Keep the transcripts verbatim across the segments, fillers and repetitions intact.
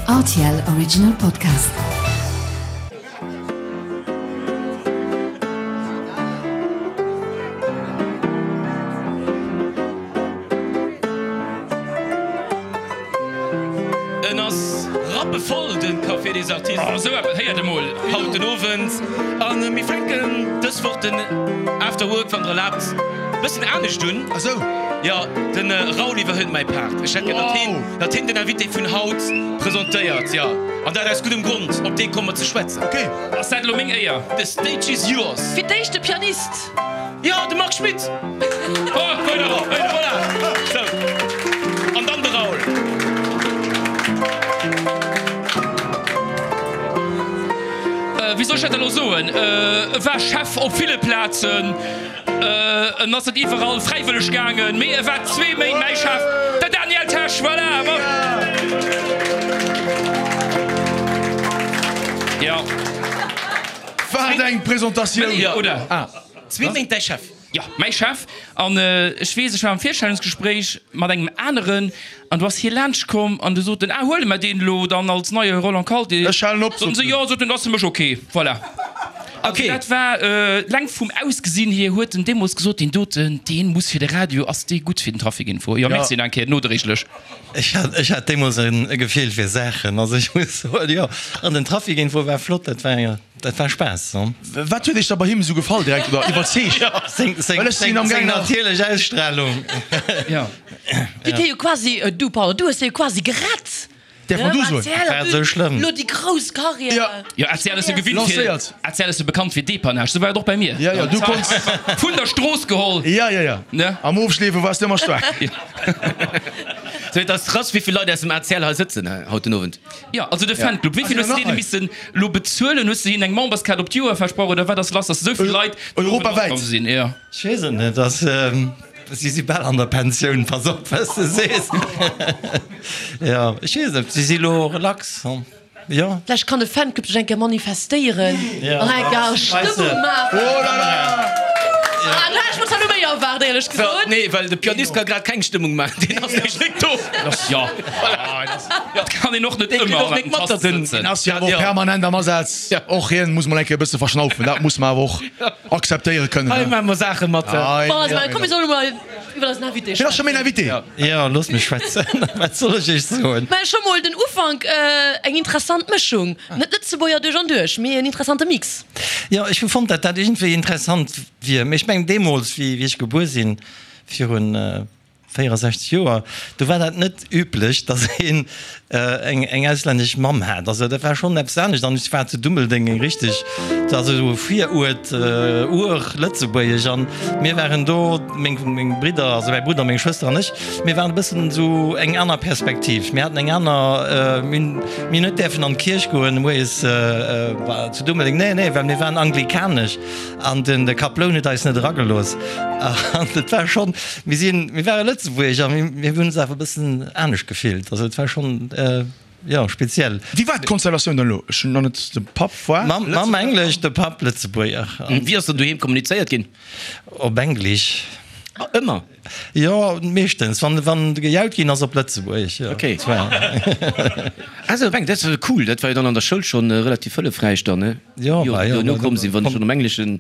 R T L Original Podcast. En ass rappevoll, de Café des Artistes. Oh, esou eppes héiert emol. Haut den Owend. A mir fänken dës Woch den After Work, wann der erlaabt, bëssen anescht un. Ah sou. Jo, den Raoul iwwerhëlt mäi Part. Ech hätt gär, datt hien, datt hien den Invité vun haut presentéiert. Jo, an dat aus guddem Grond. Op dee komme mer ze schwätzen. Ok. Ass dat elo meng Éier? The stage is yours. Fir d'éischt de Pianist. Jo, de Marc Schmitt. Oh, voilà, voilà. Sou, an dann de Raoul. Wéi soll ech dat elo soen? E war Chef op ville Plazen. En ass net iwwerall fräiwëlleg gaangen, mee e war zwee Méint mäi Chef, den Daniel Tesch. Voilà! Jo. Wat eng Presentatioun! Oder? Zwee Méint däi Chef? Jo, mäi Chef. An ech weess, ech war am Virstellungsgespréich mat engem aneren an du ass hie laanscht komm an du sot en, ah, huele mer deen elo dann als neie Roland Kalté? Ech halen op, sot en. Sot en. Jo, sot en, ass fir mech ok. Voilà. Also dat war leng vum Ausgesinn hier huet en deemools gesot, deen doten, deen muss fir de Radio, ass dee gutt fir den Trafic Info. Jo, merci nach eng Kéier nodréiglech. Ech hat, ech hat deemools e Gefill fir Saachen, also ech muss soen, jo. An den Trafic Info war flott, dat war, dat war Spaass. Wat huet iech da bei him esou gefall direkt oder iwwerzeegt? Seng, seng, Well ech sinn seng, am seng gaang nach. natierlech Ausstrahlung. Jo. Dir hutt hie jo quasi, du pardon, du hues hie jo quasi gerett. Däerf man du soen? War et sou schlëmm? Lo déi grouss Carrière. Ja. Jo, R T L ass jo gewinnt fir, Lancéiert. R T L ass jo bekannt fir Depannage, sou war et och bei mir. Ja, ja, du konns. Vun der Strooss geholl. Ja, ja, ja. Ne? Am Ofschleefe waars de ëmmer staark. So, et ass krass, wéi vill Leit aus dem A C L hei sëtzen haut den Owend. Jo, also de Fanclub. Wéi vill hues de deene missen lo bezuelen? Hues de hinnen eng Memberskaart op d'Joer versprach oder wat ass lass, dass esou vill Leit den Owend Europawäit. matkomm sinn? Jo. Ech weess et net. Ass. Si si bal an der Pensioun, pass op wat s de sees. Jo, ech weess net, si si lo relax, jo. Vläicht kann de Fanclub sech eng Kéier manifestéieren an eng Kéier Stëmmung maachen. Oh là là! Ah, do hat ech mer zwar lo méi erwaart, éierlech gesot. Nee, well de Pianist ka grad keng Stëmmung maachen, deen ass nämlech net do. Jo, et kann een och net ëmmer an der Tass sëtzen. Deen ass jo awer och permanent am Asaz. Och hien muss mol eng Kéier e bësse verschnaufen, dat muss mer awer och akzeptéiere kënnen. Hei maache mer Saache mat. Bon, also, komm, mir solle mol iwwer eisen Invité Hien ass scho schwätzen. mäin Invité. Jo, loosst mech schwätzen. Wat soll ech iech soen? Mä scho mol den Ufank, eng interessant Mëschung. Net Lëtzebuerger duerch an duerch, mee en interessante Mix. Jo, ech hu fonnt, datt dat iergendwéi interessant wier. Mee ech mengen, deemools, wéi ech gebuer sinn, virun véierundsechzeg Joer, do war dat net üblech, datt een eng eng auslännesch Mamm hat. Also dat war schonn eppes anescht. An ech war zu Dummeldeng eng richteg, also esou e Viruert, Ur-Lëtzebuergesch. An mir waren do, meng meng Bridder, also mäi Brudder, meng Schwëster an ech, mir waren e bëssen esou eng aner Perspektiv. Mir haten eng aner, mir hunn mir hunn net däerfen an d'Kierch goen moies zu Dummeldeng, nee, nee, well mir waren anglikanesch an den de Kaploun huet eis net eragelooss. An et war schonn, mir sinn, mir ware Lëtzebuerger a mir, mir hunn ons awer e bëssen anescht gefillt. Also et war schonn, jo, speziell. Wéi war d'Konstellatioun dann elo? Ech hunn nach net, de Papp war Mamm, Mamm Englesch, de Papp Lëtzebuerger. Wéi ass dann doheem kommunizéiert ginn? Op Englesch. Ah, ëmmer? Jo, meeschtens, wann, wann gejaut ginn ass, op Lëtzebuergesch, jo. Ok. Also op Englesch, dat ass cool, dat war jo dann an der Schoul schonn relativ hëllefräich dann, ne? Jo, Jo, bah jo. duerno komm sinn, wann ech schonn am Engleschen.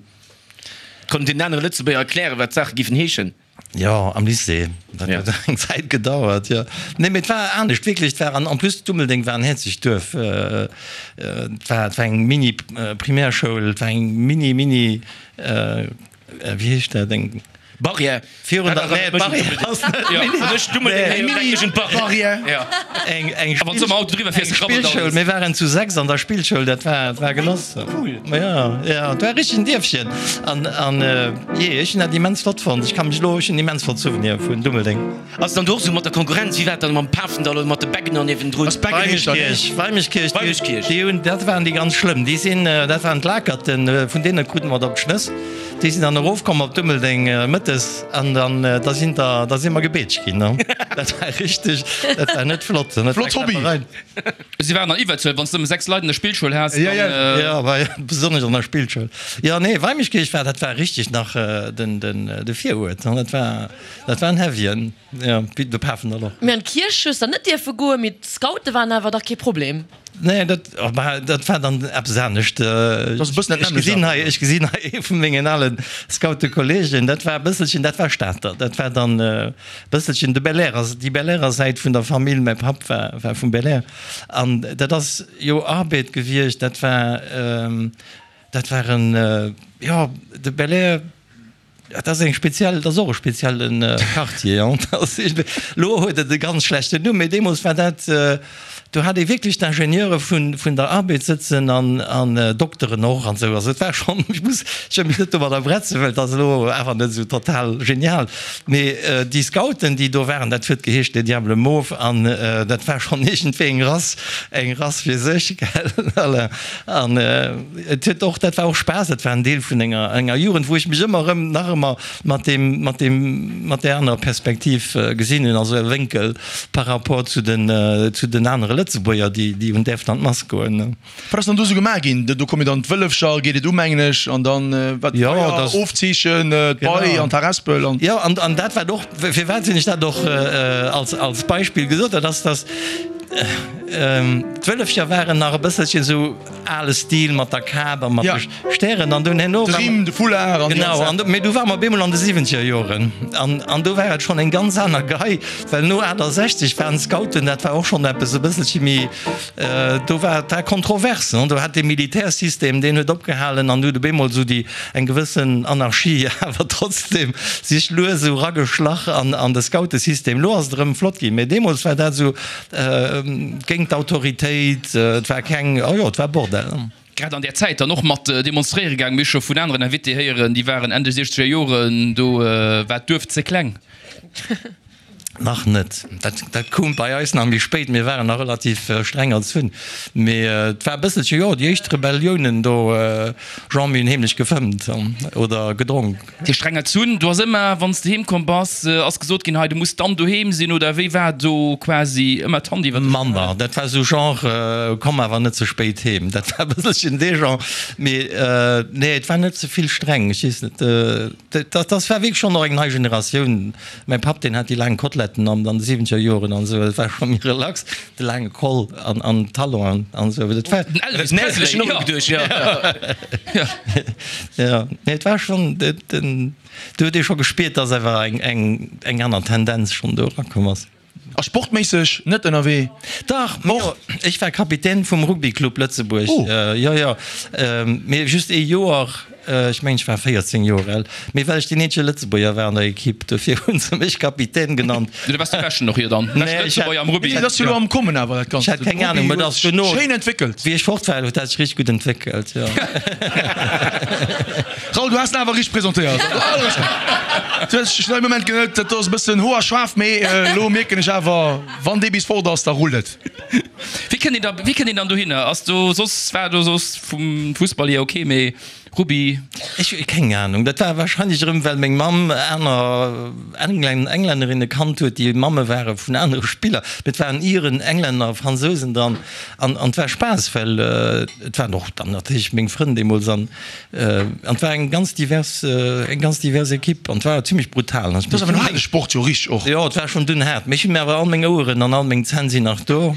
Konnt den anere Lëtzebuerger erklären, wat d'Saache giffen heeschen? Jo, am Lycée. Dat huet eng Zäit gedauert, jo. Nee, mee et war anescht, wierklech. Et war, an en plus Dummeldeng war en häerzlecht Duerf. Et war, et war eng Mini-Primärschoul, et war eng mini, mini, wéi heescht dat, eng. Barrière. Virun der, nee, d'Barrière ass net mini. Eng Mini-Barrière. Eng, eng Wann s du mam Auto driwwer fiers, krabbelt alles. Spillschoul. Mir waren zu sechs an der Spillschoul, dat war, dat war Genoss. Cool. Ja, ja, et war richteg en Dierfchen. An, an, jee, ech hunn dat immens flott fonnt. Ech ka mech elo, ech hunn immens flott Souvenire vun Dummeldeng. Ass dann do och sou mat der Konkurrenz? Wéi war et dann mam Pafendall oder mat de Beggener niewendrun? Ass Beggen heescht dat, nee? Weimeschkierch, Weimeschkierch, Weimeschkierch. déi hunn, dat waren déi ganz schlëmm. Déi sinn, dat waren d'Lakerten, vun deene krute mer et op d'Schnëss. Déi sinn dann erofkomm op Dummeldeng mëttes an dann da sinn der, da si mer gebeetscht ginn. Dat war richteg, dat war net flott. Flott Hobby. Si waren an Iwwerzuel, wann s de nëmme sechs Leit an der Spillschoul has, dann. Jo, jo, besonnesch an der Spillschoul. Jo, nee, Weimeschkierch war, dat war richteg nach den, den, de Viruert. Dat war, dat war en Heavyen, jo, wéi de Pafendall och. Mee an d'Kierch hues der net dierfe goen, mee d'Scoute waren awer dach kee Problem. Nee, dat, bah, dat war dann eppes anescht. Dat ass e bëssen dat Ech nämmlecht gesinn awer. hei, ech gesinn hei ee vu mengen ale Scoutekolleegen. Dat war e bësselchen, dat war Stater. Dat war dann e bësselchen de Belair, also déi Belairer Säit vun der Famill. Mäi Papp war, war vum Belair. An dat ass jo Arbed gewiescht. Dat war, dat war en, jo, de Belair. Dat ass eng speziell, dat ass och e spezielle Quartier. Elo huet et e ganz schlechten Numm, mee deemools war dat, do hat ee wierklech d'Ingenieure vun, vun der Arbed sëtzen an, an Dokteren och an esou. Also et war schonn, ech muss, ech wëll mech net domadder bretzen, well et ass elo awer net esou total genial, mee déi Scouten, déi do waren, dat huet geheescht les Diables mauves an dat war schonn iergendwéi eng Rass, eng Rass fir sech, gell, Alain. An et huet och, dat war och Spaass, dat war en Deel vun enger, enger Jugend, wou ech mech ëmmer erëm, nach ëmmer mat deem, mat deem, mat där anerer Perspektiv gesinn hunn, also e Wénkel par rapport zu den, zu den anere Lëtzebuerger, déi, déi hunn däerften an d'Mass goen. Wat ass dann do esou gemaach ginn? Do komme dann d'Wëllefcher, geet et u mengen ech, an dann wat, Jo, d'Feier, dat. Ofzeechen, d'Bei an d'Harespel an. Jo, an, an dat wat och, firwat hunn ech dat och als, als Beispill gesot, dat ass, dass d'Wëllefcher waren nach e bësselchen esou ale Stil mat der Kap a mat de Stären an dunn herno. De Rimm, de Foulard an déi Genau, ganz an do, mee du ware mer op eemol an de siwwenzeger Joren an, an do war et schonn eng ganz aner Gei, well no achttasechzeg waren d'Scouten, dat war och schonn eppes e bësselche méi, do war, et war kontrovers, ne, do hat dee Militärsystem, deen huet opgehalen an du huet op eemol esou déi, eng gewëssen Anarchie awer trotzdem sech lues esou erageschlach an, an de Scoutesystem. Elo ass et erëm flott ginn, mee deemools war dat esou, géint d'Autoritéit, et war keng, oh jo, et war Bordell. Grad an där Zäit dann och mat demonstréiere gaang. Mir hu scho vun aneren Invitée héieren, déi waren Enn de siechzeger Joren, do war d'Duerf ze kleng. Nach net. Dat, dat koum bei eis nach méi spéit. Mir waren nach relativ streng erzunn. Mee et war e bësselche, jo, déi éischt Rebelliounen do, Jean, mir hunn heemlech gefëmmt oder gedronk. Déi streng erzunn, do ass ëmmer, wann s de heem komm bass, ass gesot ginn, hei, du muss dann doheem sinn, oder wéi war do quasi ëmmer d'Hand iwwer de. Manner, dat war esou Genre, komm awer net ze spéit heem. Dat war e bësselchen dee Genre. Mee nee, et war net ze vill streng. Ech weess net, dat, dat war wierklech schonn och eng nei Generatioun. Mäi Papp, deen hat déi laang Koteletten an an de siwwenzeger Joren an esou, dat war scho méi relax, de laange Col an an Talon an esou, dat war. Den Elvis Presley, jo. Geduecht, jo. Jo, nee, et war schonn, den, do huet ee scho gespiert, dass awer eng eng eng aner Tendenz schonn do erakomm ass. A sportméisseg net ënnerwee? Dach, och. Ech war Kapitän vum Rugby Club Lëtzebuerg. Oh. Jo, jo, mee just ee Joer. Ech mengen, ech war véierzéng Joer al. Mee well ech deen eenzege Lëtzebuerger war an der Ekipp, dofir hu se mech Kapitän genannt. Du waars de beschten och hier dann, beschte Lëtzebuerger am Rugby. Dat ass jo elo am Kommen awer, dat Ganzt. Ech hat keng Anung, mee et ass dono. Schéin entwéckelt. Wéi ech fort war, huet dat sech richteg gutt entwéckelt, jo. Raoul, du has en awer richteg presentéiert. Du hues schnell Moment genëtt, dat do ass e bëssen hoer schaarf, mee elo mierken ech awer, wann dee bis fort ass, da rullt et. Wéi kënnt een da, wéi kënnt een dann dohinner? Ass do soss, war do soss vum Fussball hier ok, mee Rugby? Ech hu keng Anung. Dat war wahrscheinlech erëm, well meng Mamm aner Englännerinne kannt huet, déi Mamme ware vun anere Spiller. Mee et waren Iren, Englänner, Fransousen dran. An an et war Spaass, well et waren och dann natierlech meng Frënn deemools. An an et war eng ganz divers, eng ganz divers Ekipp. An et war zimmlech brutal. Dat ass awer en haarde Sport jo richteg och. Jo, et war schonn dunn haart. Mee ech hunn mir awer all meng Oueren an all meng Zänn sinn nach do.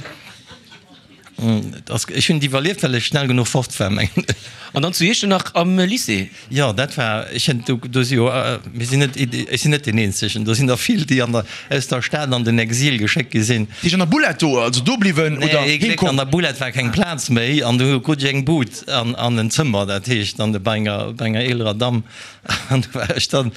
Ech hunn et iwwerlieft, well ech schnell genuch fort war, mengen ech. An dann zu Iechternach am Lycée? Jo, dat war, ech hunn, do, do si jo, mir sinn net, ech sinn net deen Eenzegen, do sinn der vill, déi an der, aus der Stad an den Exil geschéckt gi sinn. Déi an der Boulette do, also do bliwwen oder Nee, ee Gléck, heem komm? an der Boulette war keng Plaz méi an du krut ech eng Bud an, an en Zëmmer, dat heescht an de, bei enger, bei enger eelerer Damm. An do war ech dann,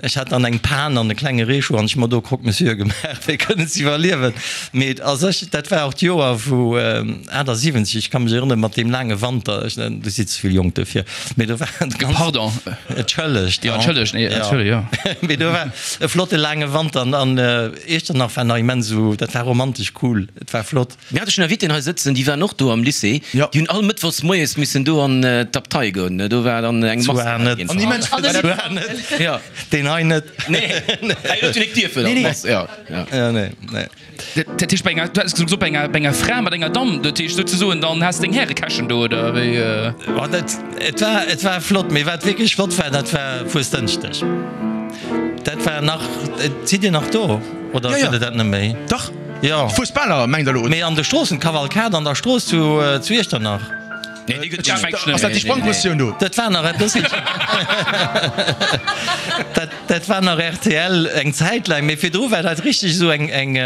ech hat dann eng Pan an e klenge Reescho an ech hu mer do Croque-monsieur gemaach, fir kënnen ze iwwerliewen. Mee a sech, dat war och d'Joer wou achtasiwwenzeg, ech ka mech erënneren, mat deem laange Wanter, ech, du si ze vill jonk dofir, mee do war et ganz. Pardon. Entschëllegt. Jo, entschëllegt, nee, entschëllegt, jo. Mee do war e flotte laange Wanter an, an Iechternach war nach immens esou, dat war romantesch cool, et war flott. Mir hate schonn Invitéen hei sëtzen, déi waren och do am Lycée, déi hunn all Mëttwochs moies missen do an d'Abtei goen, do war dann eng Mass. Zwar net. An immens An den- Zwar net. Ja. Deen hei net. Nee, hei huet jo nik dierfen an d'Mass, ja, ja. Ja, nee, nee. Dat heescht bei enger, du has gesot bei enger, bei enger Fra mat enger Damm, dat heescht souzesoen dann has deng Härekäschen do oder wéi? Oh, dat, et war, et war flott, mee wat wierklech flott war, dat war Fuesdënschdeg. Dat war nach, sidd Dir nach do oder Ja, ja. sidd Der dat net méi? Dach. Jo. Fuesbaler mengt Der elo? Mee an de Stroossen, d'Kavalkad an der Strooss zu, zu Iechternach. Nee, déi gëtt Dat net méi. Ass dat déi Sprangprëssioun do? Dat war nach e bësselchen, dat, dat war nach rtl eng Zäit laang, mee virdru war dat richteg esou eng, eng,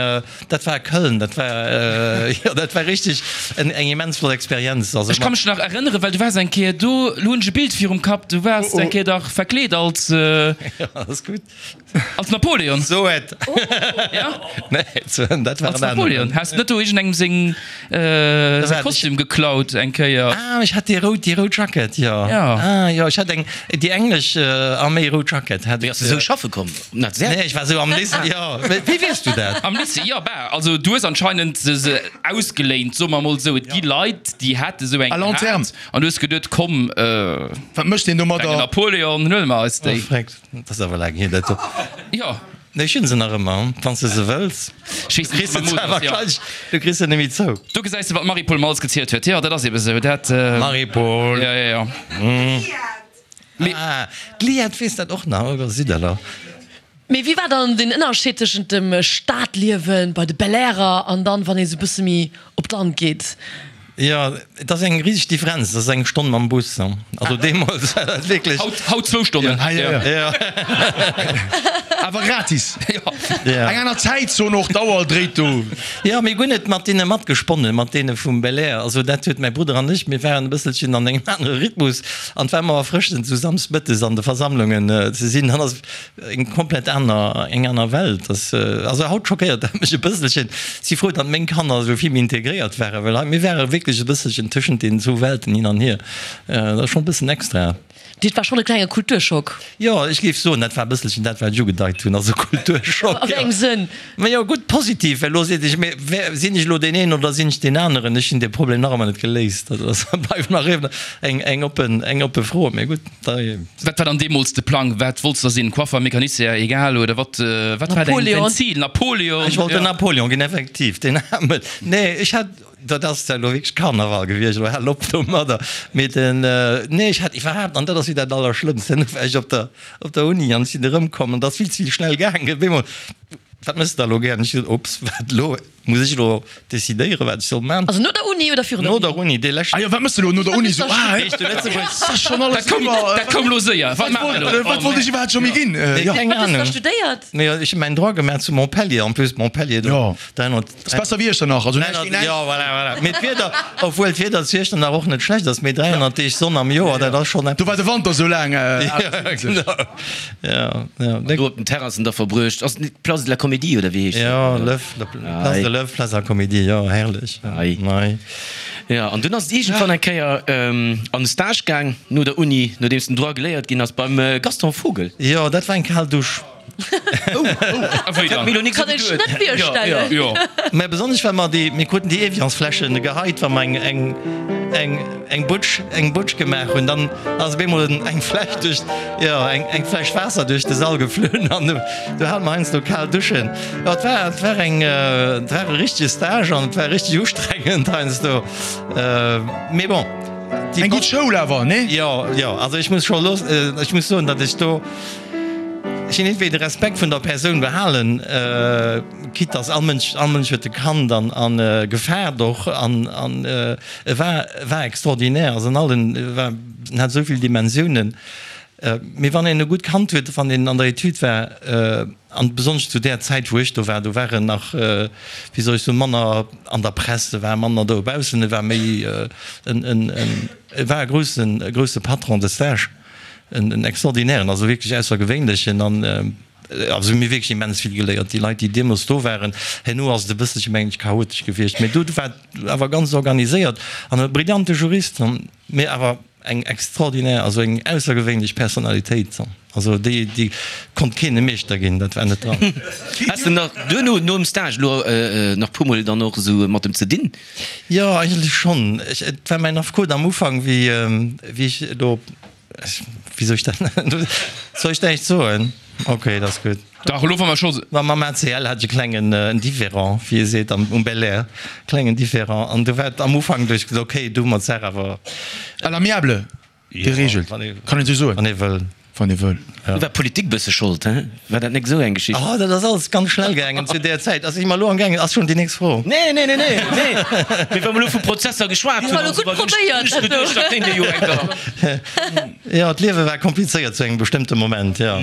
dat war Köln, dat war, jo, dat war richteg en, eng immens flott Experienz. Also Ech ka mech nach erënneren, well du waars eng Kéier do, lo hunn ech e Bild virum Kapp, du waars eng Kéier dach verkleet als, Jo, ass gutt. als Napoleon. So et. Ja? Nee, dat war Als en aneren. Napoleon. Has de net do iergendengem seng, säi Kostüm geklaut eng Kéier? Ah, ech hat déi rout, déi rout Jackett, jo. Ja. Ah, jo, ech hat eng, déi englesch Arméi rout Jackett hat Wéi ech. ass de sou schaffe komm? Nach sehr. Nee, ech war sou am Lycée, jo. Wéi weess du dat? Am Lycée, jo, bah, also du hues anscheinend se se ausgeléint, soe mer mol sou. Et gi Leit, déi hate sou eng À long terme. gehat an du hues geduet, komm, Wat mécht een klenge domadder? Napoleon, huele mer eis déi. Oh, freck, dat ass awer laang hier, dat do. Jo. Nee, ech hunn se nach ëmmer, wann s de se wëlls. Ech weess Kriss net, se wat zwar Mode ass, jo. wahrscheinlech, du kriss se net méi zou. Do gesäis de, wat d'Marie-Paule Malz gezielt huet. Jo, dat ass ebe sou. Dat, Marie-Paule. Ja, ja, ja. Mee. Ah, d'Liette weess dat och nach, oder sidd der da? Mee wéi war dann den Ënnerscheed tëschent dem Stadliewen bei de Belair'er an dann, wann ee sou bësse méi op d'Land geet? Jo, et ass eng riseg Differenz, et ass eng Stonn mam Bus. Also deemools war dat wierklech. Haut, haut zwou Stonnen. Ja, ja, ja. Awer gratis. Ja. Eng aner Zäitzon och, d'Auer dréit do. Jo, mir hunn net mat deene matgesponnen, mat deene vum Belair. Also dat huet mäi Brudder an ech, mir waren e bësselchen an engem anere Rhythmus an et war ëmmer erfrëschend, esou samsdmëttes an de Versammlungen ze sinn. Dann ass eng komplett aner, eng aner Welt. Dass, also haut schockéiert dat mech e bësselchen. Si frou, datt meng Kanner esou vill méi integréiert waren, well hei, mir ware wierklech e bësselchen tëschent deenen zwou Welten hin an hier. Dat ass schonn e bëssen extra. Dat war schonn e klenge Kulturschock. Jo, ech géif soen, dat war e bësselchen dat, wat ech ugedeit hunn, also Kulturschock. A wéi engem Sënn? Ma jo, gutt, positiv, well elo seet ech, mee wer, sinn ech elo deen een oder sinn ech deen aneren? Ech hunn dee Problem nach ëmmer net geléist. Dat ass, bleift nach ëmmer eng, eng oppen, eng oppe Fro. Mee gutt, da. Wat war dann deemools de Plang? Wat wollts de da sinn? Coiffer, Mecanicien, egal, oder wat, wat war däin, däin Zil? Napoleon? Ech wollt den Napoleon ginn, effektiv, deen Aarmen. Nee, ech hat, dat ass elo wierklech Karneval gewiescht, elo hal op domadder. Mee den, nee, ech hat iwwerhaapt, an dat ass wéi dat Allerschlëmmst, herno war ech op der, op der Uni an ech sinn erëmkomm an dat ass vill ze vill schnell gaangen. Op eemol, wat méchs de da elo gär? An ech gesot, Ups, wat elo? Muss ech elo decidéieren, wat ech soll man? Also no der Uni oder virun der Uni? No der Uni, dee leschten. Ah jo, wat méchs de elo no der Uni? Sou, ah, Heescht du Lëtzebuerg? ass schonn alles Dat koum, iwwer. dat koum elo séier. Wat maache mer elo? Wat wollt ech iwwerhaapt scho méi ginn? Jo. Keng Wat hues du da Ahnung. studéiert? Nee, ech hu mäin Droit gemaach zu Montpellier, en plus Montpellier do. Jo. dräihonnert. Ass besser wéi Iechternach, also näischt géint näischt. Jo, voilà, voilà. Mee d'Wieder, obwuel d'Wieder zu Iechternach och net schlecht ass, mee dräihonnert Deeg Sonn am Joer, dat ass schonn Do eppes. war de Wanter sou laang. Ja, genau. Ja, ja. Do op den Terrassen da verbruecht. Ass et net d'Place de la Comédie oder wéi heescht dat? Jo, Lëf, Place de Lëf, Place de la Comédie, jo, herrlech. Ei. Nei. Ja, an dunn ass et iergendwann eng Kéier an de Stage gaang, no der Uni, nodeems den Droit geléiert ginn ass, beim Gaston Vogel. Jo, dat war eng kal Dusch. Oh, oh, Wéi dann? Mir elo nik Kann sou ech geduet. net virstellen. Jo. Mä besonnesch well mer déi, mir kruten déi Eviansfläschen geheit, wa mer eng, eng, eng, eng Butsch, eng Butsch gemaach hunn, dann ass op eemol eng Fläsch duerch, jo, eng, eng Fläsch Waasser duerch de Sall geflunn an du, du hate mer heiansdo kal Duschen. Jo, et war, et war eng, et war e richtege Stage an et war richteg ustrengend heiansdo. Mee bon, déi. Eng gutt Schoul awer, nee? Jo, jo, also ech muss scho los, ech muss soen, datt ech do, Ech hunn iergendwéi de Respekt vun der Persoun behalen, quitte dass all Mënsch, all Mënsch huet e kannt an an gefaart och an an e war, e war extraordinaire, also an allen, e war, en hat esou vill Dimensiounen. Mee wann een e gutt kannt huet, wann een an der Etüd war, an besonnesch zu där Zäit wou ech do war, do war en nach, wéi soll ech soen, manner an der Press, e war manner dobaussen, e war méi en, en, en, e war e groussen, e grousse Patron de stage. En extraordinären, also wierklech aussergewéinlechen an also mir wierklech immens vill geléiert. Déi Leit, déi deemools do waren, herno ass et e bësselche mengen ech chaotesch gewiescht, mee do war et awer ganz organiséiert an e brillante Jurist, mee awer eng extraordinär, also eng aussergewéinlech Personalitéit. Also déi, déi konnt keen e Meeschter ginn, dat war net dran. Has de nach duerno, nom Stage elo, nach puer mol dann och esou mat em ze dinn? Jo, eigentlech schonn. Ech, et war mäin Affekot am Ufank, wéi, wéi ech elo, wéi soll ech dat, soll ech näischt soen? Ok, dat ass gutt. Dach, elo wa mer scho. Ma mam A C L hat ech e klengen en Différend, wéi ee seet am, um Belair, klengen Différend. An du war et am Ufank, du ech gesot, ok, du hu mer d'Saach awer. À l'amiable geregelt, kann een esou soen. Wann ee wëll. Wann ee wëll. Du war d'Politik bësse Schold, he? War dat nek esou eng Geschicht? Oh, dat ass alles ganz schnell gaangen zu där Zäit. Also si mer elo am gaangen, ass schonn déi nächst Fro? Nee, nee, nee, nee, nee. Mee wa mer elo vu Prozesser geschwat hunn an esou weider, hunn ech geduecht, dat kéint ee jo eng Kéier. Jo, d'Liewe war komplizéiert zu engem bestëmmte Moment, jo.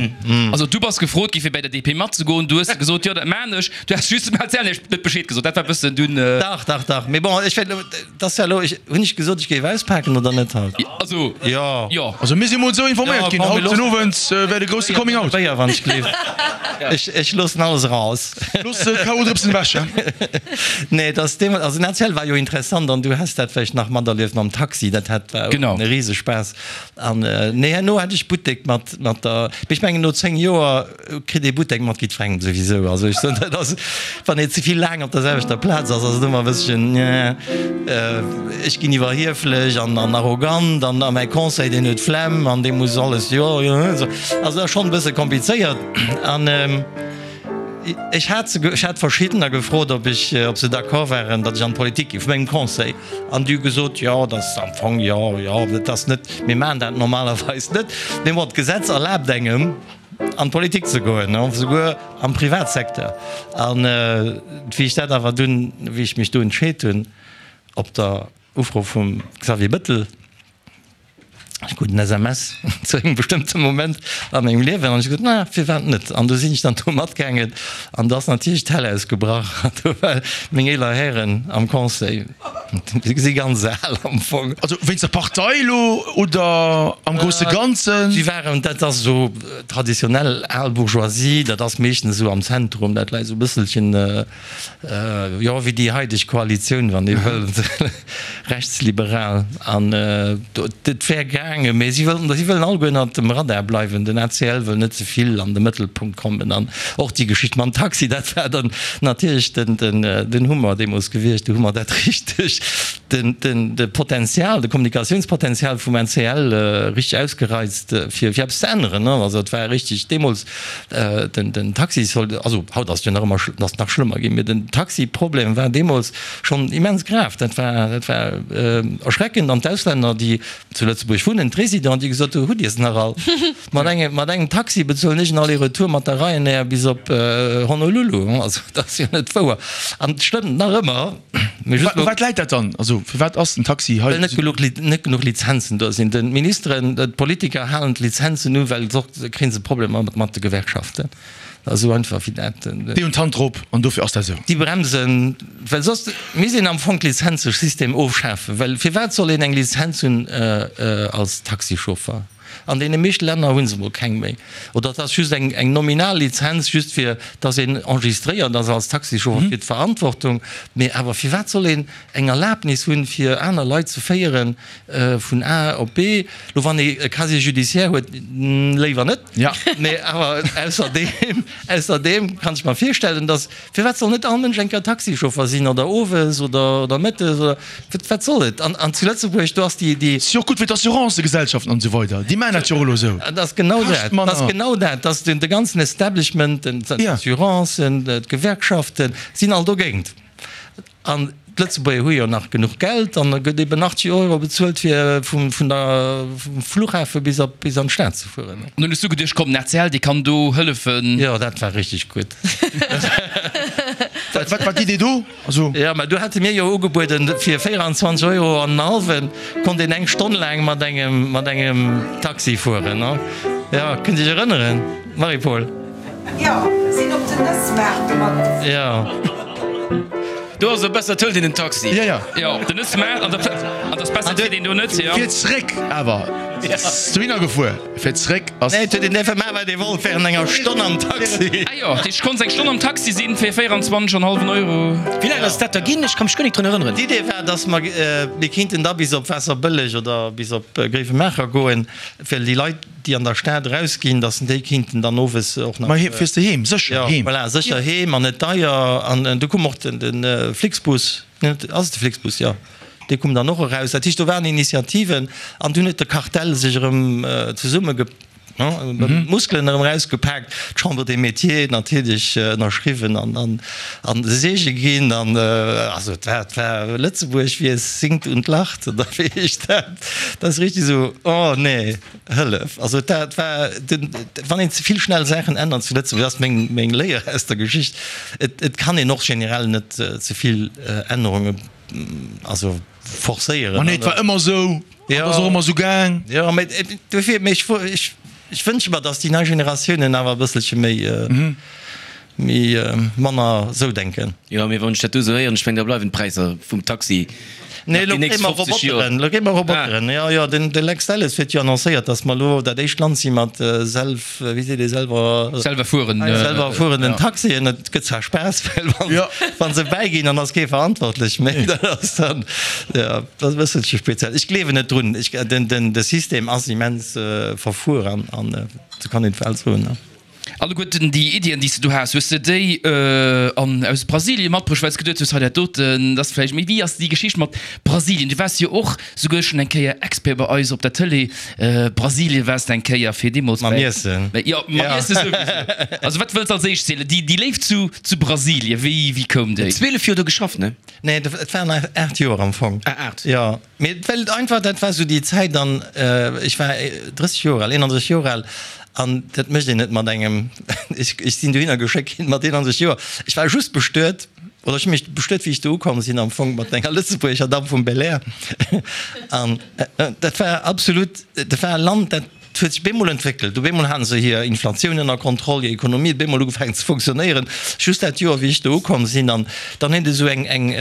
Also du bass gefrot gi fir bäi der D P matzegoen, du hues gesot, jo dat maan ech. Du häss just dem A C L net Bescheed gesot, dat war bëssen dunn. Dach, dach, dach. Mee bon, ech wäert elo, dat ass ja elo, ech, hunn ech gesot, ech géif auspaken oder net haut? Also, Jo. jo. Also mir si mol esou informéiert ginn, haut den Owend wär de grousse Coming Out. Béier, wann ech gleef. Ech, ech loossen alles eraus. Looss d'K O Drëpsen ewech, he? Nee, et ass deemools, also den A C L war jo interessant an du häss dat vläicht nach materlieft mam Taxi, dat hat, war Genau. e Risespaass. An nee, herno hat ech Buttek mat, mat der, mee ech mengen no zéng Joer kritt ee Buttek mat jiddwerengem souwisou. Also ech soen, dat ass, wann ee ze vill laang op der selwechter Plaz ass, ass et ëmmer e bësschen, ech ginn iwwerhieflech an, an arrogant an, a mäi Conseil deen huet d'Flemm an dee muss alles, jo, jo, esou. Also dat ass schonn e bësse komplizéiert. An ech hat se, ech hat verschiddener gefrot, ob ech, ob se d'accord waren, datt ech an d'Politik gi vu mengem Conseil. An déi hu gesot, jo, dat ass am Fong, jo, jo, dat ass net, mir maachen dat normalerweis net, mee bon, d'Gesetz erlaabt engem, an d'Politik ze goen, souguer am Privatsecteur. An wéi ech dat awer dunn, wéi ech mech do entscheet hunn, op der Ufro vum Xavier Bettel, ech krut en S M S zu engem bestëmmte Moment a mengem Liewen an ech hu gesot, na, firwat net? An du sinn ech dann do matgaangen an da ass natierlech d'Hell ausgebrach an do war meng eeler Hären am Conseil, déi si ganz al am Fong. Also wéinst der Partei elo oder am grousse Ganzen? Si waren, dat ass esou traditionell al Bourgeoisie, dat ass meeschtens esou am Zentrum, dat läit esou e bësselchen, jo, wéi déi haideg Koalitioun, wann ee wëll, rechtsliberal. An et wär gaangen, mee si wëllen, si wëllen alleguer ënnert dem Radar bleiwen. Den A C L wëll net ze vill an de Mëttelpunkt kommen. An och déi Geschicht mam Taxi, dat war dann natierlech den, den, den Hummer deemools gewiescht. Do hu mer dat richteg, den, den, de Potenzial, de Kommunikatiounspotenzial vum A C L richteg ausgereizt, fir, fir eppes ze änneren. Also et war richteg deemools den, den Taxi soll, also haut ass et jo nach ëmmer, ass nach schlëmmer ginn, mee den Taxiproblem war deemools schonn immens grav. Dat war, dat war erschreckend. An d'Auslänner, déi zu Lëtzebuerg wunnen, d'Résidenten, déi gesot hunn, Hutt Dir se nach all? Mat engem, mat engem Taxi bezuelen ech en Aller-retour mat der Ryanair bis op Honolulu. Also dat ass jo net wouer. An et stëmmt nach ëmmer. Mee just U wat läit dat dann? Also firwat ass den Taxi hei Well net genuch, net genuch Lizenzen do sinn. D'Ministeren, d'Politiker halen d'Lizenzen u, well soss kréie se Problemer mat de Gewerkschaften. Dat ass esou einfach wéi dat. Déi hunn d'Hand drop an dofir ass dat esou. Déi bremsen, well soss misst een am Fong d'Lizenzesystem ofschafen. Well firwat soll een eng Lizenz hunn als Taxichauffer? An deene meeschte Länner hu se mol keng méi. Oder et ass just eng eng nominal Lizenz, just fir datt een enregistréiert ass als Taxichauffer fir d'Verantwortung. Mee awer firwat soll een eng Erlaabnis hunn, fir aner Leit ze féieren vun A op B? Lo wann ee e Casier judiciaire huet, léiwer net. Mee awer ausserdeem, ausserdeem kann ech mer virstellen, datt, firwat soll net all Mënsch eng Kéier Taxichauffer sinn oder owes oder oder mëttes oder wat, wat soll et? An, an zu Lëtzebuerg, do ass déi, déi. Ass jo och gutt fir d'Assurancëgesellschaften an esou weider, déi maachen dat jo och elo esou. Dat ass genau dat, Kascht dat ass manner. genau dat, dass den, de ganzen Establishment, den, d'Assurancen, d'Gewerkschaften sinn all dogéint. An d'Lëtzebuerger hu jo nach genuch Geld an da gëtt eben achtzeg Euro bezuelt fir vum vun der vum Flughafe bis op bis an d'Stad ze fueren. An dunn hues du geduecht, komm, den A C L, dee kann do hëllefen. Jo, dat war richteg gutt. Wat wat war d'Idee do? Also. Jo, mä do hate mir jo ugebueden, fir véieranzwanzeg Euro an en hallwen konnt een eng Stonn laang mat engem mat engem Taxi fueren. Jo, kënnt Dir Iech erënneren, Marie-Paule? Jo, sinn op den Nëssmaart domat gefuer. Jo. Do ass et besser, et hëlt een en Taxi. Jo, jo. Jo, den ass smart an dat ass besser fir deen do net, jo. Fir zréck awer, dohinner gefuer, fir zréck ass. Nee, et huet een däerfe maachen, wat ee wollt, während enger Stonn am Taxi. Ah jo, ech konnt eng Stonn am Taxi sinn fir véieranzwanzeg an hallwen Euro. Wéi laang ass dat da ginn? Ech ka mech guer nik drun erënneren. D'Idee war, dass mer, mir kinnten da bis op Waasserbëlleg oder bis op Gréiwemaacher goen, well déi Leit, déi an der Stad erausginn, dass déi kinnten dann owes och nach. Ma fiers de heem? Sécher heem. Voilà, sécher heem an net deier. An du koum och de Flixbus, ass et de Flixbus? Jo, dee koum dann och eraus. Dat heescht, do waren Initiativen an dunn huet de Kartell sech erëm zesumme, d'Muskelen erëm erausgepaakt, d'Chambre des Métiers natierlech ënnerschriwwen an an de Seege ginn. An also et war, et war Lëtzebuerg, wie es singt und lacht, oder wéi heescht dat? Dat ass richtig esou, oh nee, Hëllef! Also dat war den, wann een ze vill schnell Saachen ännert zu Lëtzebuerg, dat ass meng, meng Léier aus der Geschicht, et, et kann een och generell net ze vill Ännerunge, also forcéieren. Ma nee, et war ëmmer esou, an et ass och ëmmer esou gaang. Jo, mä dofir, mä ech, ech, ech wënsche mer, datt déi nei Generatiounen awer e bësselche méi, méi manner esou denken. Jo, mee wann ech dat do esou héieren, ech mengen, da bleiwen d'Präisser vum Taxi Nee, nach elo déi nächst kréie mer fofzeg Joer. Roboteren, elo kréie mer Roboteren. Jo, jo, den, de Lex Delles huet jo annoncéiert, datt mer elo dat éischt Land si mat self, wéi seet ee, selwer, Selwer fueren. selwer fuerenden Taxien. Et gëtt zwar Spaass, well wann, Jo. wann se bäiginn, dann ass kee verantwortlech méi. Dat ass dann, jo, dat ass e bësselche speziell. Ech gleewen net drun. Ech, den, den, de System ass immens verfuer an, an esou kann een et well soen, ne. Alleguerten déi Iddien, déi s de do has, hues de déi an aus Brasilien matbruecht, well s geduet hues, hei dat doten, dat ass vläicht. Mee wéi ass déi Geschicht mat Brasilien? Du waars jo och souguer schonn eng Kéier Expert bei eis op der Tëlee. Brasilien waars de eng Kéier fir deemools Mam bei. Iessen. Jo, mam Iessen souwisou. Also wat wëlls als éischt zielen? Déi, déi Léift zu, zu Brasilien, wéi, wéi koum déi? Zwielef Joer do geschafft, ne? Nee, et waren aacht Joer am Fong. Ah, aacht. Jo, mee well einfach, dat war esou déi Zäit an ech war drësseg Joer al, eenandrësseg Joer al. An dat mécht een net mat engem, ech sinn dohinner geschéckt ginn mat eenanzeg Joer. Ech war just bestuet, oder ech hu mech bestuet, wéi ech do ukomm sinn, am Fong mat enger Lëtzebuerger Damm vum Belair. An dat war absolut, dat war e Land, dat huet sech bemol entwéckelt. Op eemol hate se hir Inflatioun ënner Kontroll, hir Ekonomie huet bemol ugefaangen ze funktionéieren, just dat Joer, wéi ech do ukomm sinn. An dann huet esou eng, eng,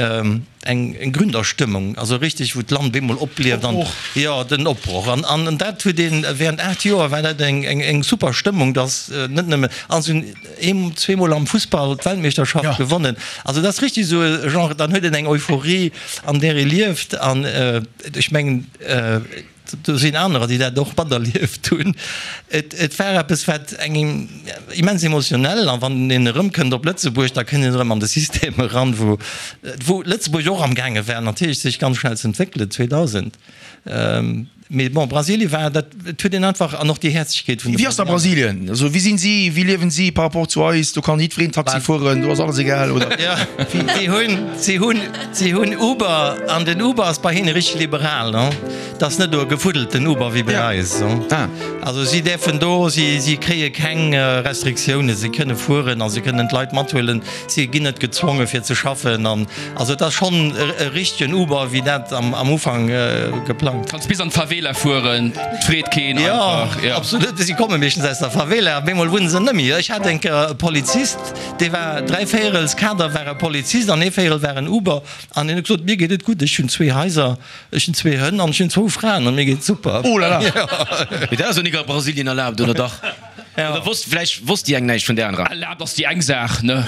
eng Gründerstëmmung, also richtig, wou d'Land bemol oplieft an, jo, den Opbroch. An, an dat huet een, während aacht Joer war dat eng, eng, eng super Stëmmung, dass net nëmme, an se hunn eem, zweemol am Fussball d'Weltmeeschterschaft gewonnen. Also dat ass richtig esou e Genre, dann huet een eng Euphorie, an där ee lieft. An ech mengen, Do sinn anerer, déi dat och materlieft hunn. Et, et war eppes, wat engem immens emotionell, an wann een erëmkënnt op Lëtzebuerg, da kënnt een erëm an de System eran, wou, wou Lëtzebuerg och amgaange war natierlech sech ganz schnell ze entwéckelen, zweedausend. Mee bon, Brasilien war dat, et huet een einfach, an och déi Häerzlechkeet vun de Wéi ass da Brasilien? Also wéi sinn si, wéi liewen si par rapport zu eis? Do kann jiddwereen Taxi fueren, do ass alles egal, oder? Jo, si hunn, si hunn, si hunn Uber, an den Uber ass bei hinne richteg liberal, ne? Et ass net e gefuddelten Uber wéi bei eis. Also si däerfen do, si, si kréie keng Restriktiounen, si kënne fueren a si kënnen d'Leit mathuelen, si ginn net gezwonge fir ze schaffen an also et ass schonn e richtegen Uber wéi dat am, am Ufank geplangt. Kanns bis an d'Favela fueren, 't freet keen einfach. Jo, absolut, si komme meeschtens aus der Favela, op eemol wunne se net méi. Ech hat eng Kéier e Polizist, dee war dräi Véierels Kader war e Polizist an ee Véierel war en Uber an hien huet gesot, mir geet et gutt, ech hunn zwee Haiser, ech hunn zwee Hënn an ech hunn zwou Fraen an mir geet et super. Oh là là! Mee dat ass jo nik a Brasilien erlaabt, oder dach? Oder wosst, vläicht wosst déi eng näischt vun där anerer. Erlaabt ass déi eng Saach, ne?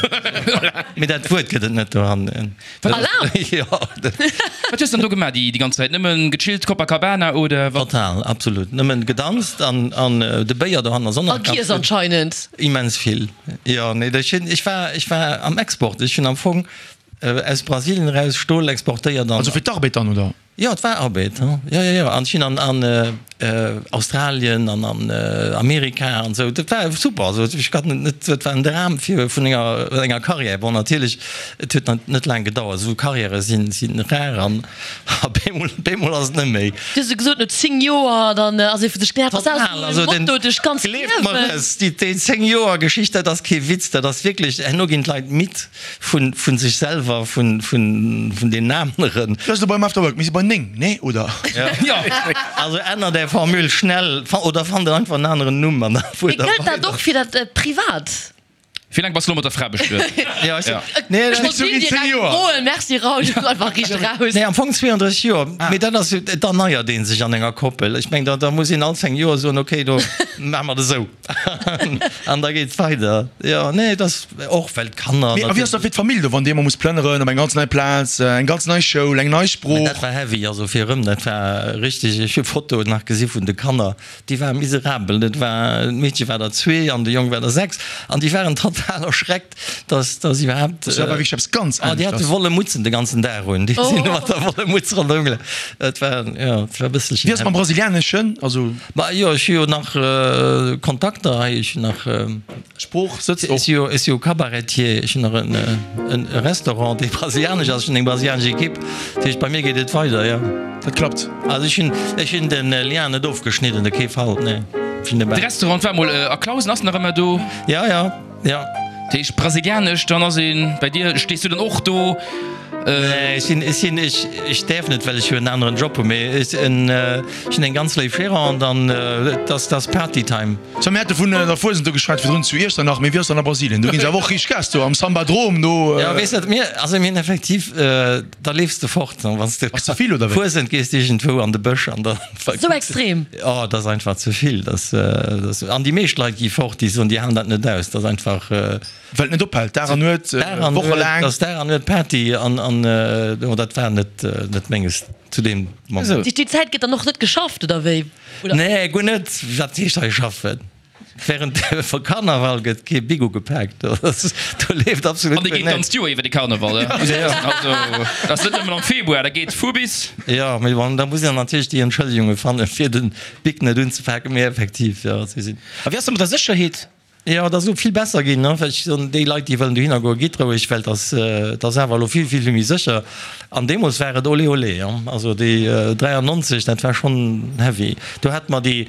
Mee dat Wuert gëtt et net dohannen. Erlaabt? Jo. Wat hues de dann do gemaach déi ganz Zäit? Nëmmen gechillt, Copacabana oder wat? Total, absolut. Nëmmen gedanzt an an de Béier dohannen ass och nach A giess ganz gutt. anscheinend. Immens vill, jo. Nee, ech hunn, ech war, ech war am Export. Ech hunn am Fong aus Brasilien eraus Stol exportéiert an. Also fir d'Arbed dann, oder? Jo, et war Arbed, jo, jo, jo. An ech sinn an an Australien an an Amerika an esou. Dat war super. Also ech kann et net, et war en Dram fir vun enger enger Carrière. Bon, natierlech, et huet net laang gedauert. Esou Carrièrë sinn sinn rar an a bemol bemol ass et net méi. Du hues jo gesot, no zéng Joer, dann ass ee vu sech genervt. Ass dat Total, esou also e den, Motto duerch d'ganzt gleeft mer Liewen? es, déi déi zéng Joer Geschicht, dat ass kee Witz, dat ass wierklech, herno ginn d'Leit midd vun vun sech selwer, vun vun vun deenen aneren. Du ass elo beim After Work, mir si bei néng, nee, oder? Jo. Also ännert är Formule schnell oder fannt einfach en aneren Numm an da Mee fuert der gëllt dat weider. och fir dat Privat? Wéi laang bass de lo mat der Fra bestuet? Ja, ech Ja. Nee, Ech dat wollt si direkt froen. Merci Raoul, du bass einfach riicht eraus. Nee, am Fong zweeëndrësseg Joer. Mee dat ass, et erneiert ee sech an enger Koppel. Ech meng, da, da muss een all zéng Joer soen, okay, do maache mer et esou. An da geet et weider. Jo, nee, et ass och well d'Kanner Mee a wéi ass da fir d'Famill do, wann déi emol muss plënneren op eng ganz nei Plaz, eng ganz nei Schoul, eng nei Mee Sprooch? dat war heavy, also fir erëm, dat war richteg, ech hu Fotoen nach gesi vun de Kanner, déi ware miserabel. Dat war, d'Meedche war der zwee an de Jong war der sechs an déi waren total erschreckt, dass, dass iwwerhaapt. Dat war wierklech eppes ganz Oh, déi hate aneschters. Wolle Mutzen de ganzen Dag un, déi sinn mat der Wolle Mutz ronderëm gelaf. Et war, jo, et war e bësselchen Wéi ass et mam heavy. Brasilianeschen? Also. Ma jo, ech hu jo nach Kontakter hei, ech hunn nach. D'Sprooch sëtzt Ech och. si jo, ech si jo Cabaretier, ech hunn nach en, en Restaurant, dee brasilianesch ass, ech hunn eng brasilianesch Ekipp, dat heescht, bei mir geet et weider, jo. Dat klappt. Also ech hunn, ech hunn den Lien net ofgeschnidden, op kee Fall, nee. Ech hunn De de. Restaurant war mol a Clausen, ass nach ëmmer do. Ja, ja, ja. Dat heescht brasilianesch, dann ass een bei dir, stees du dann och do? Nee, ech sinn, ech sinn, ech, ech däerf net, well ech jo en aneren Job hunn, mee ech, en, ech hunn eng ganz léif Gérante an et ass, et ass Party-Time. So, mir hate vun der Fuesent do geschwat virdrun zu Iechternach, mee wéi ass dann a Brasilien? Do ginn se awer och richteg Gas do am Sambadrom do. Ja, weess dat, mir, also mir hunn effektiv, da leefs de fort, wann s de. Ass ze vill, oder wéi? Fuesent gees de iergendwou an de Bësch an da. Sou extrem? Oh, dat ass einfach ze vill, dat, dat, an déi meescht Leit gi fort, déi soen, déi halen dat net aus, dat ass einfach. Well et net ophält, Dag an Nuet, wochelaang. Dass Dag an Nuet Party an, an oh, dat war net, net menges zu deem Moment. Déi Zäit gëtt dann och net geschafft, oder wéi? Oder? Nee, guer net. Wat heescht hei schaffen? Während dem Karnaval gëtt kee Bigo gepaakt. Do leeft absolut An dee geet d'ganzt Joer iwwer, de Karneval. Also, dat ass net nëmmen am Februar, dat geet vu bis. Jo, mee bon, da muss een natierlech déi Entschëllegunge fannen, fir de Bic net unzepaken. Mee effektiv, jo, si sinn. A wéi ass dat mat der Sécherheet? Jo, et ass elo vill besser ginn, ne, well ech soen, déi Leit, déi wëllen dohinner goen, gitt roueg, well et ass, et ass awer elo vill, vill, vill méi sécher. An deemools war et olé, olé, hein. Also déi dräiannonzeg, dat war schonn heavy. Do hate mer déi,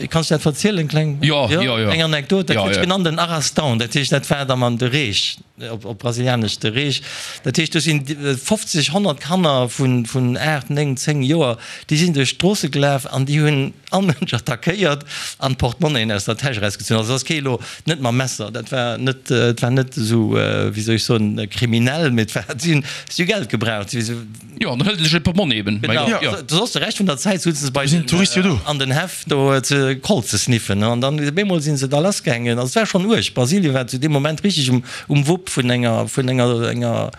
kann ech dat verzielen, kleng? Jo, jo, jo. Eng Anekdot, dat Jo, gëtt jo. genannt den Arrastão, dat heescht, dat war da man de Reech, op, op Brasilianesch de Reech. Dat heescht, do sinn fofzeg, honnert Kanner vun, vun aacht, néng, zéng Joer, déi sinn duerch d'Stroosse gelaf an déi hunn all Mënsch attackéiert an d'Portmonnaiën aus der Täsch erausgezunn. Also ass kee elo net mam Messer, dat war net, et war net esou, wéi soll ech soen, kriminell, mee et war, si hunn, si hu Geld gebraucht. Si, si. Jo, an dann hëlt e sech e Portmonni eben. Genau, Jo. soss de Rescht vun der Zäit souzen se bei Sinn d'Touriste jo do. an den Häff do ze Colt ze sniffen, an dann op eemol si se da lassgaangen. Also et war schonn uerg. Brasilien war zu deem Moment richteg um, um Wupp vun enger, vun enger, enger,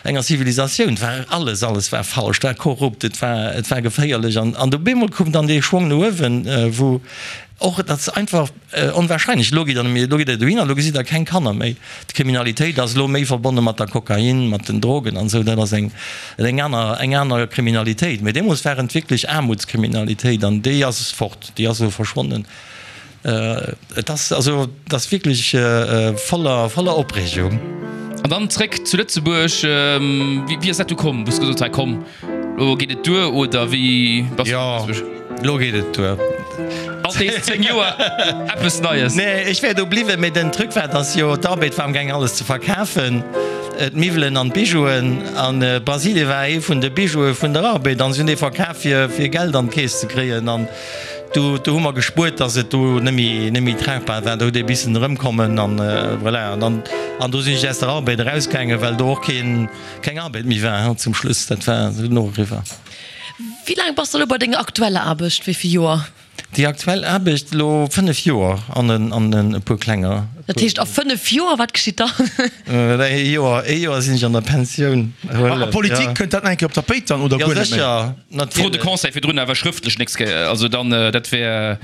enger Zivilisatioun. Et war alles, alles war falsch, et war korrupt, et war, et war geféierlech. An, an op eemol koum dann dee Schwong no uewen, wou och, dat ass einfach onwahrscheinlech, elo gitt der nëmme, elo gitt der dohinner, elo gesitt der keng Kanner méi. D'Kriminalitéit ass elo méi verbonne mat der Kokain, mat den Drogen an esou, dat ass eng, eng aner, eng aner Kriminalitéit. Mee deemools war et wierklech Aarmutskriminalitéit an déi ass fort, déi ass elo verschwonnen. Et ass also, et ass wierklech voller, voller Opreegung. An dann zréck zu Lëtzebuerg, wéi ass dat du komm, wou s de gesot hues, hei komm, elo geet et duer, oder wéi bass du Jo, elo geet et duer. Alt nees zéng Joer eppes Neies. Nee, ech wär do bliwwen, mee den Truc war, dass jo d'Arbed war amgaangen alles ze verkafen, d'Miwwelen an d'Bijouen, an Brasilien war ee vun de Bijoue vun der Arbed, an si hunn dee verkaf fir fir Geld an d'Keess ze kréien, an do do hu mer gespuert, dass et do net méi net méi tragbar war, do huet ee bissen erëmkommen an voilà, an dann an do sinn ech aus der Arbed erausgaangen, well do och keen keng Arbed méi war zum Schluss, dat war dunn och eriwwer. Wéi laang bass de elo bei denger aktueller Aarbecht, wéi vill Joer? Déi aktuell Aarbecht elo fënnef Joer an en e puer klenger. Dat heescht a fënnef Joer, wat geschitt dann? Ee Joer, ee Joer sinn ech an der Pensioun. A Politik, kënnt dat nach eng Kéier op d'Tapéit dann oder guer net méi? Jo sécher, Fro de natierlech. Conseil virdrun awer schrëftlech nächst Kéier, also dann dat wär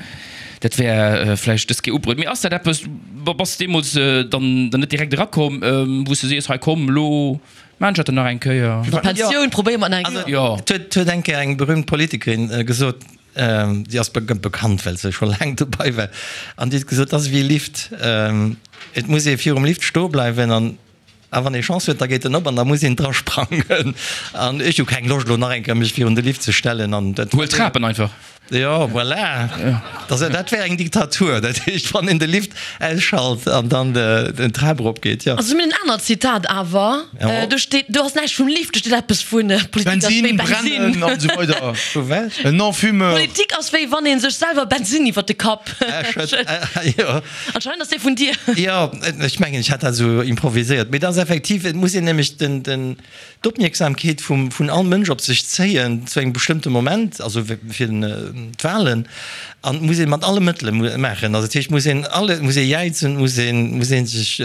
dat wär vläicht dës Kéier ubruet. Mee ass dat eppes, bass de deemools dann dann net direkt erakomm, wou s de sees, hei komm elo maan ech dat dann nach eng Kéier? Pensioun probéiere mer nach eng Kéier. Jo. Et huet eng Kéier eng berühmt Politikerin gesot, Si ass bekannt, well se scho laang dobei war. An déi huet gesot, Et ass ewéi e Lift, et muss ee virum Lift stoe bleiwen an a wann ee Chance huet, da geet en op an da muss een dra sprangen. An ech hu keng Loscht elo nach eng Kéier mech virun de Lift ze stellen. An dat Huel d'Trapen einfach. Jo, voilà. Dat, dat wär eng Diktatur, dat heescht, wann een de Lift ausschalt an dann den Trap erop geet, jo. Also mir hunn en anert Zitat awer. Jo. Do steet, do ass näischt vum Lift, do steet eppes vu Politik ass wéi Bensinn, Bensinn. brennen an esou weider. Vu wat? En Non-fumeur. Politik ass wéi wann ee sech selwer Bensinn iwwer de Kapp schëtt. Jo. Anscheinend ass dee vun dir. Jo, ech mengen, ech hat dat esou improviséiert. Mee dat ass effektiv, et muss een nämlech den, den, d'Opmierksamkeet vum, vun all Mënsch op sech zéien zu engem bestëmmte Moment, also fir d'Wahlen, an et muss ee mat alle Mëttele maachen. Also dat heescht, et muss een alle, et muss ee jäizen, et muss een, muss ee sech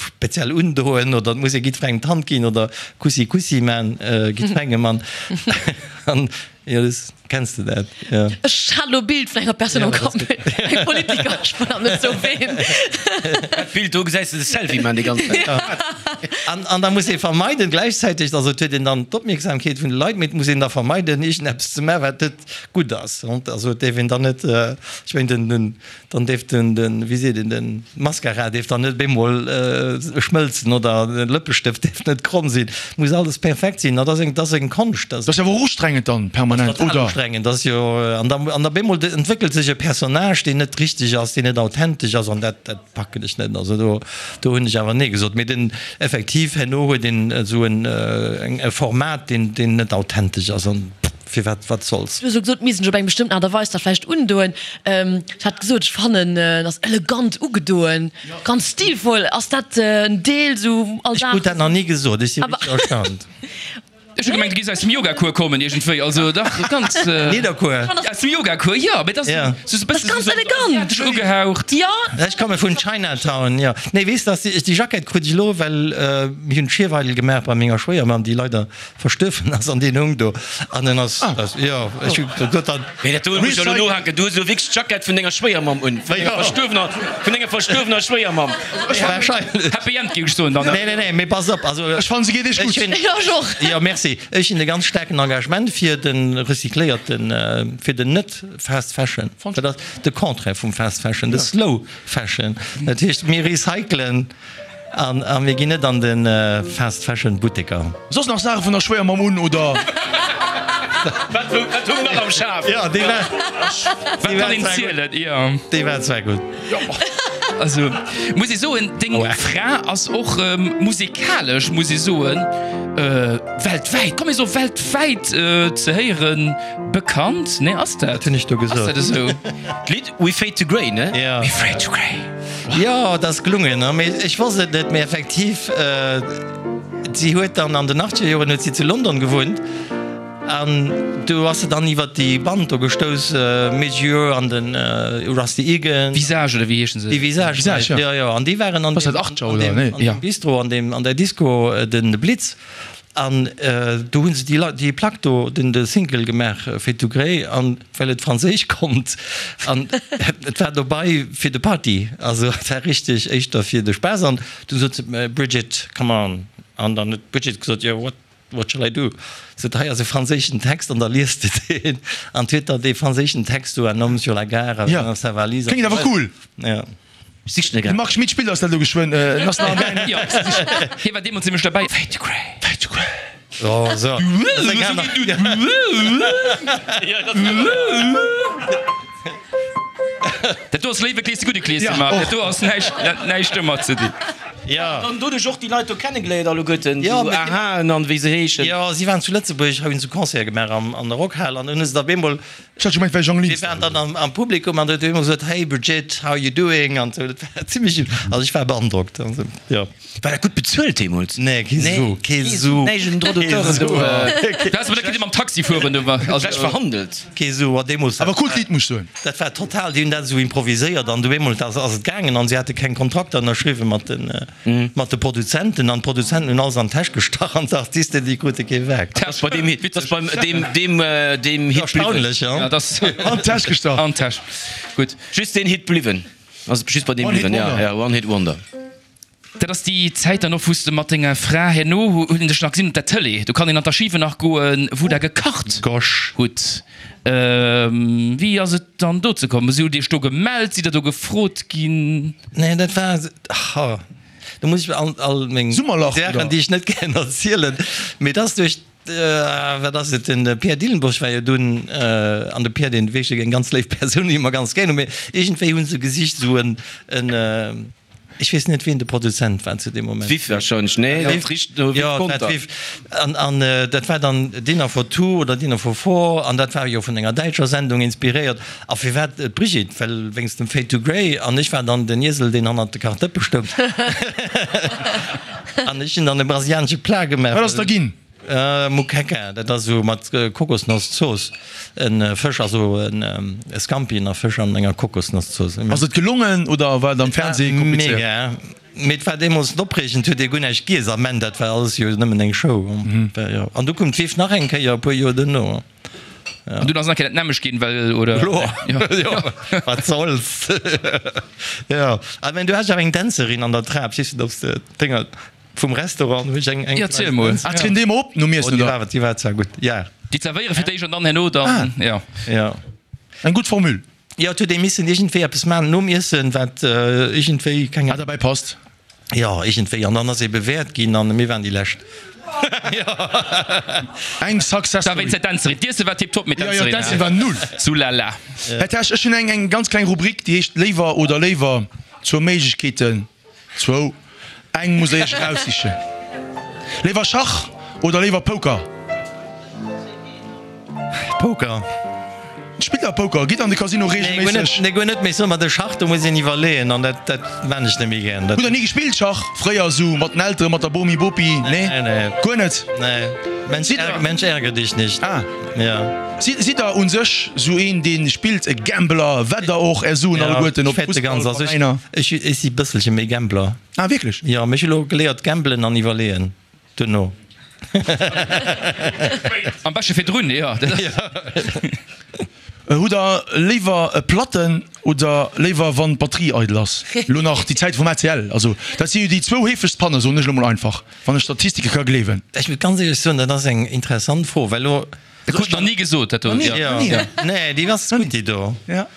speziell undoen oder et muss ee jiddwerengem d'Hand ginn oder Kussi Kussi man, jiddwerengem an, an jo, das. Kenns de dat? Jo. Ech hat elo e Bild vun enger Persoun am Kapp, eng Politiker, ech wëll awer net soe ween. Dat Bild do gesäis de de Selfie man déi ganz Zäit. An, an da muss ee vermeiden gläichzäiteg, also et huet een dann d'Opmierksamkeet vun de Leit, mee et muss een da vermeiden iergendeppes ze maachen, wat net gutt ass. Also et däerf een dann net, ech mengen den, den, dann däerf den, den, wéi seet een, den Mascara däerf dann net op eemol schmëlzen oder de Lëppestëft däerf net kromm sinn. Et muss alles perfekt sinn. Dat ass eng, dat ass eng Konscht. Dat ass awer och ustrengend dann permanent, oder? Ustrengend ass jo, an da, an da bemol entwéckelt sech e Personnage, deen net richteg ass, deen net authentesch ass, an dat, dat packen ech net. Also do, do hunn ech awer nee gesot. Mee den, effektiv, herno huet een esou en, e Format, deen, deen net authentesch ass, an firwat, wat soll's. Du hues elo gesot, misst ech op eng bestëmmten Aart a Weis dat vläicht undoen. Ech hat gesot, ech fannen, en ass elegant ugedoen, ganz stilvoll. Ass dat en Deel sou Ech Alldag? krut dat nach ni gesot, ech si richteg erstaunt. Ech hu gemengt, du géifs aus dem Yogacours kommen iergendwéi. Also dach, ganz. Nidderkuer? Aus dem Yogacours, jo, mee dat ass sou e bëssen Ganz elegant. asiatesch ugehaucht. Jo. Ech komme vun Chinatown, jo. Nee, weess dass, déi Jackett krut ech elo, well mir hunn d'Schierweidel gemaach bei menger Schwéiermamm, déi leider verstuerwen ass, an deen hung do. An en ass, jo, ech hu gesot dann. Mee dat do muss ech elo nohaken, du hues elo wierklech d'Jackett vun denger Schwéiermamm un, vun denger verstuerwener, vun denger verstuerwener Schwéiermamm. Wahrscheinlech. Happy End, géif ech soen dann. Nee, nee, nee, mee pass op, also. Ech fannen se geet iech gutt. Jo, ech och. Jo, merci. Ech hunn e ganz staarken Engagement fir de recycléierten, fir den net Fast Fashion. Dat ass de Contraire vum Fast Fashion, de Slow Fashion. Dat heescht, mir recyclen an a mir ginn net an de Fast Fashion Butteker. Soss nach Saache vun der Schwéiermamm un, oder? Wat wat hu mer nach am Schaf? Jo, déi war, Wat kann een zielen? Jo. déi war zwar gutt. Also muss ee soen, deng Fra ass och musekalesch, muss ee soen, weltwäit, komm mir soe weltwäit ze héieren, bekannt, nee ass dat? Wat hunn ech do gesot? Ass dat esou? D'Lidd We Fade to Grey, ne? Ja. We Fade to Grey. Jo, dat ass gelungen, ne? Mee ech wosst et net, mee effektiv, si huet dann an den achtzeger Joren huet si zu London gewunnt. An do ass se dann iwwert déi Band do gestouss, Midge an den Rusty Egan. Visage oder wéi heeschen se? Déi Visage, Visage, ja. Jo, an déi waren an deem Bistro, an deem, an der Disco, den Blitz. An do hu se déi, déi Plack do, den, de Single gemaach, Fade to Grey, an well et franséisch konnt. An et war dobei fir de Party, also et war richteg éischter fir de Spaass. An du sot se, Bridget, come on. An dann huet d'Bridget gesot, jo, what? What shall I do? Sot, hei ass e franséischen Text an da liest de deen. An huet der dee franséischen Text do, Un homme sur la gare avec Ja. sa valise. Kléngt awer cool. Ja. Ech sichen e De grad. Marc Schmit spillt eis dat elo geschwënn. En ass nach am Gaangen. Jo, hie war deemools nämlech derbäi. Fade to Grey. Fade to Grey. Oh, so. Dat ass eng aner. Dat do ass Léiwe Klees, de gudde Klees, Ja, Marc. och. Dat do ass näischt, näischt domat ze dinn. Ja. An doduerch och déi Leit do kennegeléiert alleguerten, Ja, esou mee- Ahaen an wéi se heeschen. Jo, si waren zu Lëtzebuerg, hunn se Concerte gemaach am, an der Rockhal an hunn se da bemol, Ech hat gemengt, wär Jean mir Linster. waren dann am, am Publikum an huet bemol gesot, Hey Brigitte, how you doing? An sou, dat war zimmlech, also ech war beandrockt. Also, jo. War dat gutt bezuelt deemools? Nee, kee Su, kee Su. Näischt un Droit d'auteuren do. Du häss awer net kënne mam Taxi fueren, do war, also. Schlecht verhandelt. Kee Su, a deemools. Awer coolt Lidd, muss ech soen. Dat war total, déi hunn dat esou improviséiert an du eemol ass ass et gaangen an si hate keng Kontrakter ënnerschriwwen mat den mat de Produzenten an d'Produzenten hunn alles an d'Täsch gestach an d'Artisten déi krute kee Werk. Dat ass bei deem Hit, dat ass beim deem deem deem Hit bliwwen. Erstaunlech, ja. Ja, dat ass An d'Täsch gestach. An d'Täsch. Gutt. Just deen Hit bliwwen. Ass just bei deem One Hit bliwwen, ja, Wonder. ja, One Hit Wonder. Dat ass déi Zäit dann och, wou s de mat denger Fra herno, hunn ech nach gesinn op der Tëlee, do kann een an d'Archiven nach goen, wou der gekacht Gosch. hutt. Wéi ass et dann dozou komm? Hutt Dir iech do gemellt? Sidd der do gefrot ginn? Nee, dat war, ha, do muss ech all, all meng Summerlach, Saachen, oder? déi ech net gären erzielen, mee dat ass duerch Wat ass et, den Pierre Dillenburg war jo dunn, an de Pierre, deen wierklech eng ganz léif Persoun, déi mer ganz gär hunn, mee iergendwéi hu se gesicht esou en, en, ech weess net wien de Produzent war zu deem Moment. D'Viv warscheinlech, nee, dat richt no Viv Conter. Jo, dat d'Viv. An, an dat war dann Dinner for Two oder Dinner for Four, an dat war jo vun enger däitscher Sendung inspiréiert. A firwat d'Brigitte? Well wéinst dem Fade to Grey, an ech war dann den Iesel, deen hannert de Kachdëppe stoung. An ech hunn dann e brasilianesche Plat gemaach. Wat ass da ginn? Moqueca, dat ass esou mat Kokosnosszooss, e Fësch, also e Scampien a Fësch an enger Kokosnosszooss. Ass et gelongen oder war et am Fernseh komplizéiert? Mega, mee et war deemools opreegend, huet ee guer näischt giess am Enn, dat war alles jo nëmmen eng Show. An du koum d'Viv nach eng Kéier e puer Joer duerno. An dunn ass nach eng Kéier dat nämmlecht ginn, well, oder? Jo, wat soll's. Jo, a mä du has awer eng Dänzerin an der Trap, weess net, ob s de d'Dénger. Vum Restaurant hu ech eng eng. Ja, ziel mol. Ah, trieden déi emmer op nom Iessen, oder? Oh, déi war zwar gutt, ja. Déi zerwéiere fir d'éischt an dann herno dann, ja. Ja. Eng gutt Formule. Jo, et huet ee missen iergendwéi eppes maachen nom Iessen, wat iergendwéi, keng. Wat derbäi passt. Jo, iergendwéi. An dann ass ee bewäert ginn an mir waren déi Lescht. Eng Success Da Story. wéinst der Dänzerin. D'Iesse war tiptop, mee Jo, jo, d'Dänzerin. d'Dänzerin war null. Sulala. Här Tesch, ech hunn eng eng ganz kleng Rubrik, déi heescht Léiwer oder léiwer, zwou Méiglechkeeten. Zwou. Eng musst der iech eraussichen. Léiwer Schach oder léiwer Poker? Poker. Spillt der Poker? Gitt an de Casino reegelméisseg? Nee, guer net. Mee soe mer, de Schach, do muss een iwwerleeën an dat, dat maan ech net méi gären. Hutt der ni gespillt Schach? Fréier esou mat den Elteren, mat der Bomi, Bopi? Nee? Guer net? Nee. Mensch, Mensch ärger dich nicht. Ah. Ja. Sidd der un sech sou een deen spillt, e Gambler, wett der och är Suen alleguerten op Fussballveräiner? Ech ech si bësselche méi Gambler. Ah wierklech? Jo, mee ech hu lo geléiert gamblen an iwwerleeën duerno. Am beschte virdrun, jo. Hutt der léiwer e Platten oder léiwer wann d'Batterie eidel ass? Lo nach déi Zäit vum A C L, also dat si jo déi zwou heefegst Panne, soen ech lo mol einfach, wann ech Statistike ka gleewen. Ech muss ganz éierlech soen, dat ass eng interessant Fro, well lo. Dat krut nach ni gesot, dat do. Jo, nee, déi ass gutt, déi do. Ja.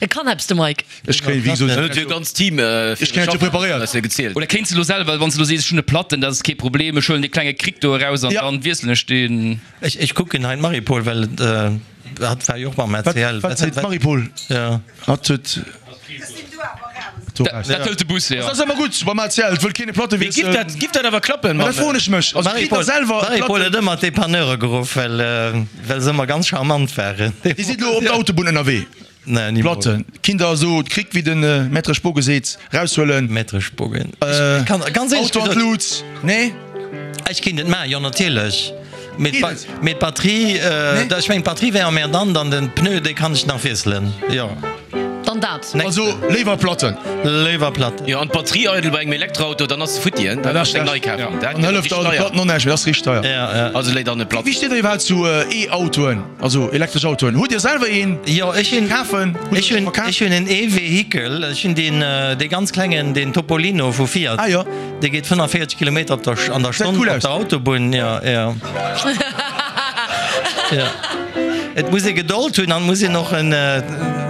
E kann eppes, de Mike. Ech kréien, wéi gesot, Huet jo ganz Team ech kréien dat jo preparéiert. gezielt. Oder kéints de lo selwer, wann s de lo sees, ech hunn e Platten, dat ass kee Problem, ech huelen dee klenge Krick do eraus an dann wiesselen ech deen. Ech, ech kucken hei d'Marie-Paule, well hatt war jo och mam A C L. Wat seet d'Marie-Paule? Ja. Hatt huet. Dat hëlt de Bus, jo. Dat ass ëmmer gutt beim A C L, et wëll keen e Platte Mee giff dat, giff dat awer klappen? Ma dat froen ech mech. Also kritt der selwer e D'Marie-Paule Platten? huet ëmmer d'Depanneure geruff, well, well se ëmmer ganz charmant waren. Dir sidd elo op der Autobunn ënnerwee. Nee, nimools. Platten kinnt der esou d'Krick, wéi de Maître Spogen seet, raushuelen. Maître Spogen. Ech kann, ganz éierlech Auto an gesot. d'Lut, nee? Ech kéint et maachen, jo natierlech. Mee Geet et? mee d'Batterie, Nee? ech mengen d'Batterie wär emmerdant an den Pneu, dee kann ech nach wiesselen, jo. Dann dat. Also léiwer Platten. Léiwer Platten. Jo, an d'Batterie eidel bei engem Elektroauto, dann ass se futti, hein? Dat Dann ass muss eng nei schlecht. kafen. Dat Dann gëtt hëlleft richteg der de deier. Platten och näischt méi, dat ass richteg deier. Ja, ja. Also léi dann e Platten. Wéi steet der iwwerhaapt zu E-Autoen, also elektresch Autoen? Hutt Dir selwer een? Jo, ech hunn, Kafen? Hutt ech Dir hunn, scho kaf? ech hunn en E-Vehikel. Ech hunn deen, dee ganz klengen, deen Topolino vu Fiat. Ah jo. Dee geet fënnefavierzeg Kilometer op der, an der Gesäit Stonn cool op aus. der Autobunn. Jo, jo. Jo. Et muss ee Gedold hunn an et muss een och en,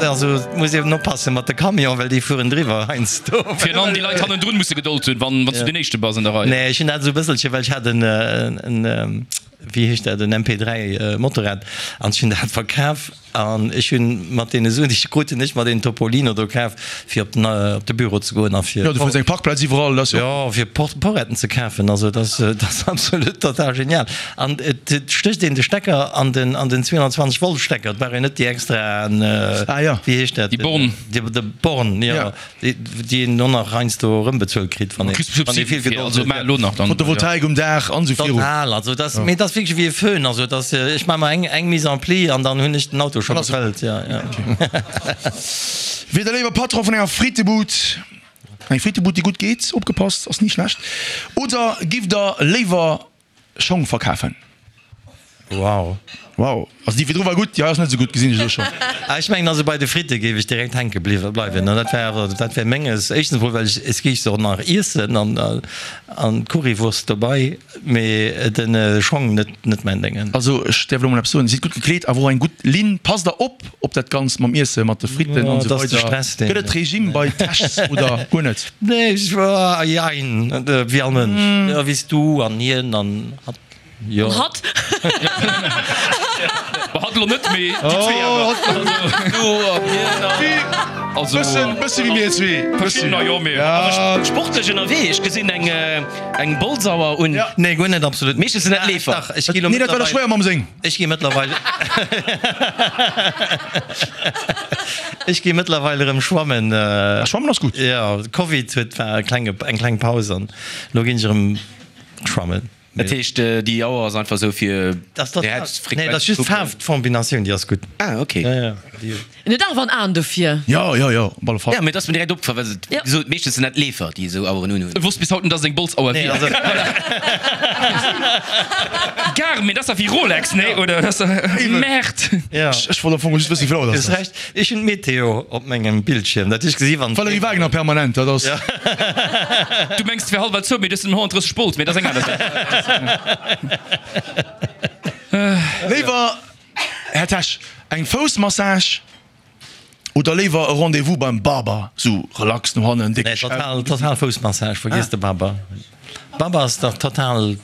also et muss een oppasse mat de Camion, well déi fueren driwwer heiansdo. Virun allem déi Leit hannendrun musse Gedold hunn, wann s du deen Éischte bass an der Rei. Nee, ech hunn dat esou e bësselche, well ech hat en, en, wéi heescht dat, en M P dräi Motorrad an ech hunn dat verkaf an ech hunn mat deene Suen, déi ech krut hunn, ech mer deen Topolino do kaf, fir op den, op de Büro ze goen a fir. Jo, du fënns eng Parkplaz iwwerall, dat ass jo. Jo, fir Porretten ze kafen, also dat ass, dat ass absolut total genial. An et stécht een de Stecker an den, an den zweehonnertzwanzeg Volt Stecker, et brauch een net déi extraen, Ah ja. wéi heescht dat? Déi Born. Déi, de Born, jo, Ja. déi, déi een och nach heiansdo erëmbezuelt kritt, wann een, Kriss wann ee vill Subsiden fir, Gedold also huet. mä elo nach dann. Photovoltaik um Daach an esou viru. Total, also dat, mee dat ass wierklech wéi e Föhn, also dat, ech maache mer eng, eng Mise en pli an dann hunn ech den Auto scho gefëllt, jo, jo. Wier der léiwer Patron vun enger Frittebud, eng Frittebud déi gutt geet, opgepasst, ass ni schlecht, oder giff der léiwer Schong verkafen? Wow. Wow, also déi virdru war gutt, déi hei ass net esou gutt, gesinn ech elo schonn. Ah, ech mengen also bei de Fritte géif ech direkt hänke bliwwe bleiwen, an dat wär awer, dat wär menges. Éischtens emol well ech, es géif se och nach iessen an an d'Currywurst dobei, mee den Schong net, net mäin Déngen. Also ech däerf elo mol eppes soen, Dir sidd gutt gekleet, awer och eng gutt Linn. Passt der op op dat Ganzt mam Iesse, mat de Fritten an esou weider? Gëtt et Regime bei Tests oder guer net? Nee, ech, jein, wéi all Mënsch, jo, wéi s du an hien an hatt. Jo. An hatt? Bah, hatt elo net, mee déi zwee awer. Also, Bëssen, bësse wéi mir zwee. Verschiddener, jo, mee. Ja. Sportlech ënnerwee, ech gesinn eng, eng Bolzauer un. Ja. Nee, guer net, absolut. Meeschtens sinn dat Leefer. Dach, ech gi elo Nee, dat war der mëttlerweil, Schwéiermamm seng. ech gi mëttlerweil, ech gi mëttlerweil erëm schwammen. Ah, schwammen ass gutt. Jo, Covid huet, war e klenge, eng kleng Paus an elo ginn ech erëm schwammen. Dat heescht, déi Auer ass einfach esou fir Nee, dat ass just d'Faarfkombinatioun, déi ass gutt. Ah, ok. Ja, ja, déi. En huet awer en Aen dofir. Jo, jo, jo, op alle Fall. Ja, mee et ass mir direkt opgefall, well se, wéi gesot, meeschtens sinn dat Leefer, déi esou Aueren unhunn. Ech wosst bis haut net, dass et eng Bolzauer Nee, wier. also. Garmin, dat ass dach wéi Rolex, nee? Oder? Dat ass dach. Merde! Ja. Ech wollt am Fong just wëssen, wéi vill Auer Du dat hues ass. Recht, ech hunn d'Meteo op mengem Bildschierm, dat hu ech gesi wann. Valérie Wagner permanent, dat ass. Du mengs, et wär hallwer zou, mee et ass nëmmen honnertdrësseg Volt, mee dat ass eng aner Saach. Léiwer, Här Tesch, eng Foussmassage oder léiwer e Rendez-vous beim Barber, sou relax no hannen, déck Nee, total, total Foussmassage, vergiess de Barber. Barber ass dach total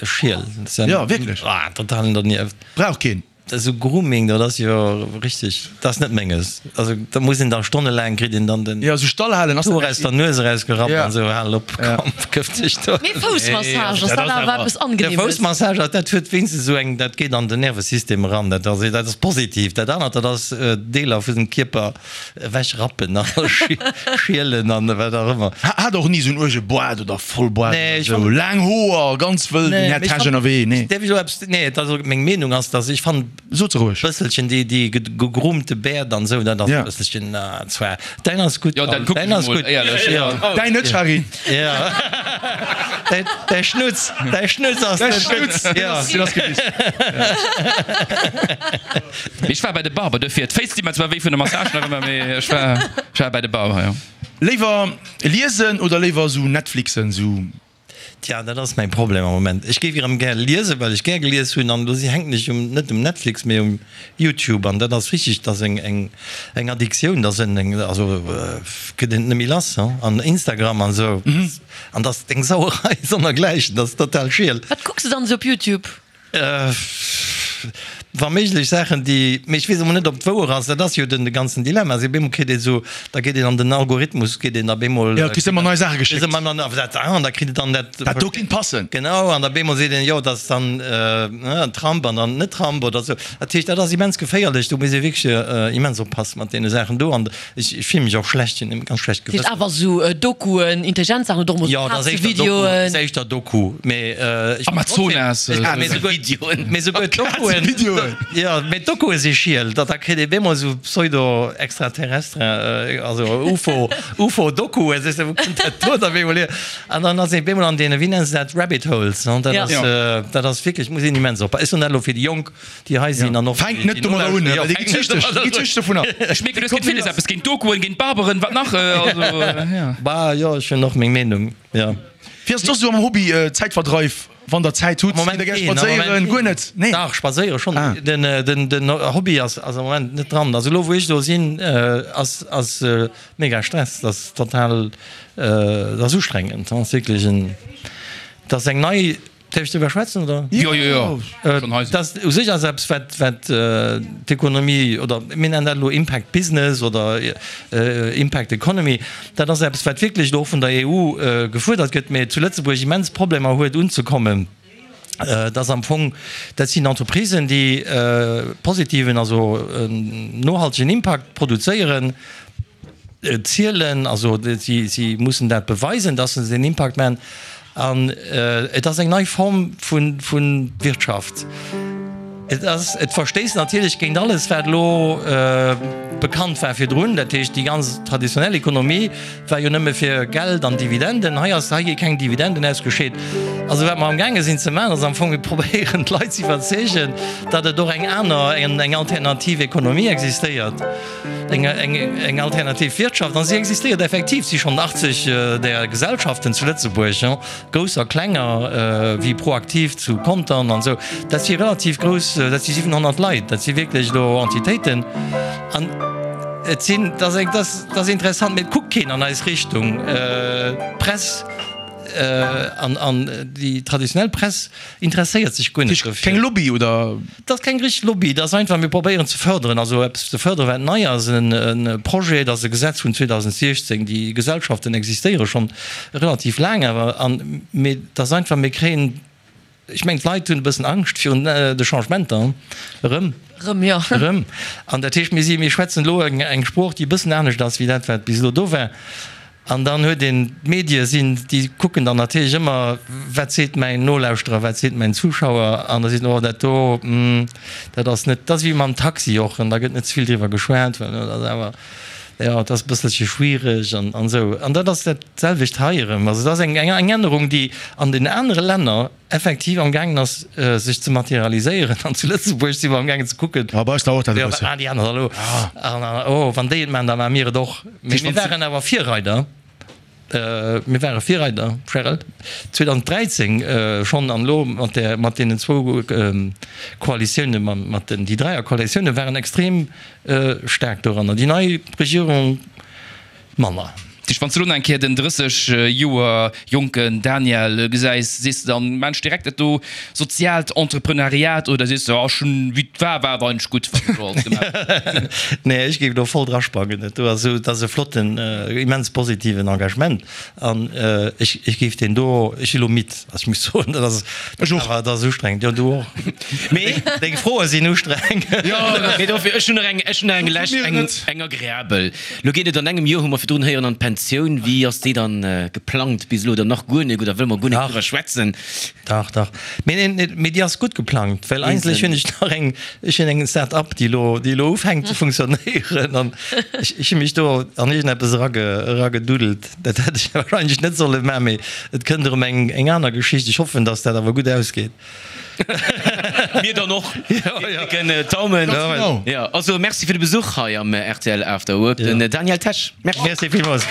schiel. Ja, wierklech. Ah, total dernieft. Brauch keen. Esou Grooming, dat ass jo richteg, dat ass net menges. Also da muss een da stonnelaang, kritt een dann den Ja, esou stall halen ass d'Hoer aus der Nues erausgerappt Ja. an esou, hal op, komm, këff dech do. Mee Foussmassage, ass dat awer eppes De Angenehmes? Foussmassage, dat huet wéinstens esou eng, dat geet an den Nervesystem eran, dat ass, dat ass positiv. Dat anert, dat ass Deeler vun dem Kierper ewechrappen a schielen an wat och ëmmer. Hat och ni esou en uerge Boart oder Vollboart Nee, oder ech esou. fand- Laang Hoer, ganz wëll, den Nee, Här mee ech Tesch fand- ënnerwee, nee. Däerf ech elo eppes, nee, et ass, meng Meenung ass, dass ech fannen, Sot se roueg. Bësselchen déi déi gegroomte Bäerd an esou, dat ass Ja. e bësselchen zwar. Däin ass gutt, Jo, dann Paul, kucken däin ech ass mol, gutt. éierlech. Ja. Däin net, Shari. Ja. Däi däi Schnutz, däi Schnutz ass Däi net Schnutz, gutt. deen Ja. ass, deen ass gewiss. Mee ech war bei de Barber, dofir d'Féiss di mer zwar wéi vun der Massage nach ëmmer, mee ech war, ech war bei de Barber, jo. Léiwer liesen oder léiwer sou Netflixen, sou. Tja, dat ass mäi Problem am Moment. Ech géif erëm gär liesen, well ech gär gelies hunn, an do si hänken ech um, net um Netflix, mee um YouTube, an dat ass richteg, dat ass eng, eng, eng Addiktioun, dat ass en, eng, also gëtt een et net méi lass, hein, an Instagram an esou, an dat ass eng Sauerei sonnergläichen, dat ass total schiel. Wat kucks de dann esou op YouTube? Wa méiglech Saachen, déi, mee ech weess emol net, ob et wouer ass, dat ass jo den de ganzen Dilemma, si bemol kritt ee sou, da geet een an den Algorithmus, geet een da bemol. Jo, kriss ëmmer nei Saache Kriss geschéckt. ëmmer nei, dat, ah, an da kritt et dann dat. Dat do kinnt passen. Genau, an da bemol seet een, jo, dat ass dann ne, Trump an dann net Trump oder sou. Dat heescht, dat ass immens geféierlech, do muss ee wierklech immens oppasse mat deene Saachen do. An ech, ech fille mech och schlecht, hunn e ganz schlecht Dat heescht Gewëssen. awer sou Dokuen, intelligent Saachen oder och mol Jo, dat ass éischter Doku, Kazevideoen? ass éischter Doku, mee ech. Amazonas. Ah, mee souguer, mee souguer d'Dokuen. Videoen. Jo, mee d'Dokue si schiel, da kritt ee bemol sou Pseudo-Extraterrestre, also Ufo, Ufo-Dokuen, sees de, wou kënnt dat do da bemol hier? An dann ass ee bemol an deene, wéi nennen se dat, Rabbit Holes, ne? Dat Ja. ass, dat ass wierklech, muss een immens oppassen. Ech soen dat elo fir déi Jonk, déi hei sinn an och Fänkt net domadder un, well déi gi süchteg, déi gi süchteg dovunner. Ech mierken, du hues géint villes eppes, géint Dokuen, géint Barberen, wat nach? Also, ja. Bah, jo, ech hunn och meng Meenung, jo. Wéi ass et soss esou am Hobby, Zäitverdreif? Wann der Zäit hutt, gitt der gär spadséieren? Guer net? Nee? Dach, spadséiere schonn. Ah. Den, den, den Hobby ass, ass am Moment net dran. Also elo wou ech do sinn, ass, ass mega Stress. Dat ass total, dat ass ustrengend. Dat ass wierklech en, dat ass eng nei, däerf ech driwwer schwätzen, oder? Jo, jo, jo. Schonn hei sinn. Dat u sech ass eppes, wat, wat d'Ekonomie, oder mir nennen dat elo Impact Business oder Impact Economy, dat ass eppes, wat wierklech elo och vun der E U gefuerdert gëtt, mä zu Lëtzebuerg immens Problemer huet unzekommen. Dat ass am Fong, dat sinn Entreprisen, déi positiven, also nohaltegen Impact produzéieren, zielen, also si, si mussen dat beweisen, dass se den Impact maachen. An et ass eng nei Form vu, vu Wirtschaft. Et ass, et verstéisst natierlech géint alles, wat elo bekannt war virdrun. Dat heescht, déi ganz traditionell Ekonomie war jo nëmme fir Geld an Dividenden. Hei ass, hei gi keng Dividenden ausgescheet. Also wat mer amgaange sinn ze maachen, ass am Fong, mir probéieren d'Leit ze iwwerzeegen, datt et och eng aner, eng alternativ Ekonomie existéiert, eng, eng, eng alternativ Wirtschaft. An si existéiert effektiv. Et si schonn achtzeg där Gesellschaften zu Lëtzebuerg, grouss a klenger, wéi Proactiv zu Contern an esou. Dat si relativ grouss. Dat si siwenhonnert Leit, dat si wierklech elo Entitéiten. An et sinn, dat ass, dat ass interessant, mee et kuckt keen an eis Richtung. D'Press an, an déi traditionell Press interesséiert sech guer net dofir. Keng Lobby, oder? Dat ass keng richteg Lobby, dat ass einfach, mir probéieren ze fërderen, also eppes ze fërderen, wat nei ass, e Projet, dat ass e Gesetz vun zweedausendsechzéng, déi Gesellschaften existéiere schonn relativ laang awer, an, mee dat ass einfach, mir kréien, ech mengen, d'Leit hunn e bëssen Angscht virun de Changementer, erëm. Erëm, jo. Erëm. An dat heescht, mir si, mir schwätzen elo eng, eng Sprooch, déi e bëssen anescht ass wéi dat, wat bis elo do war. An dann huet een, d'Medie sinn, déi kucken dann natierlech ëmmer, wat seet mäin Nolauschterer, wat seet mäin Zuschauer, an da seet en, oh dat do, dat ass net, dat ass wéi mam Taxi och, an da gëtt net ze vill driwwer geschwat, well dat ass awer, jo, dat ass e bësselche schwiereg an esou. An dat ass dat selwecht hei erëm. Also et ass eng Ännerung, déi an den anere Länner effektiv am gaangen ass sech ze materialiséieren an zu Lëtzebuerg si mer am gaangen ze kucken, Ah, bei eis dauert dat e jo, wat bëssen. maachen déi aner da elo? An, an, oh, wann déi et maachen, da maache mir et och. Mee mir waren awer Virreider, mir ware Virreider, Charel, zweedausenddräizéng schonn an elo mat där, mat deenen zwou Koalitiounen, mat den, déi Dräierkoalitiounen waren extrem staark doranner. Déi nei Regierung manner. Tisch, wann s de lo nach eng Kéier den drësseg Joer jonken Daniel gesäis, sees de dann, Mensch, direkt dat do soziaalt Entreprenariat oder sees de, oh, ech hunn, wéi et war, war et eigentlech gutt, wat ech do alles gemaach hunn? Nee, ech géif do voll drasprangen. Dat do ass esou, dat ass e flotten, immens positiven Engagement an ech, ech géif deen do, ech si lo midd, also ech muss soen, dat ass, Ech och. awer dat ass ustrengend. Jo, du och. Mee. Deng Froe sinn ustrengend. Jo, mee dofir, ech hunn nach eng, ech hunn nach eng lescht, eng, eng agreabel. Lo geet et an engem Joer, hu mer virdrun héieren, an d'Pensioun. Wéi ass déi dann geplangt bis elo oder nach guer nik oder wëlle mer guer nik driwwer schwätzen? Dach, dach. Mee neen, mee déi ass gutt geplangt, well eigentlech hunn ech nach eng, ech hunn eng Start-up, déi elo, déi elo ufänkt ze funktionéieren an ech, ech hu mech do an iergendeppes erage, erageduddelt. Dat hätt ech wahrscheinlech net solle maachen, mee et kënnt erëm eng, eng aner Geschicht. Ech hoffen, datt dat awer gutt ausgeet. Mir dann och. Mir drécken d'Daumen. Ganz genau. Jo, also Merci fir de Besuch hei am R T L After Work, den Daniel Tesch. Merci. Merci villmools.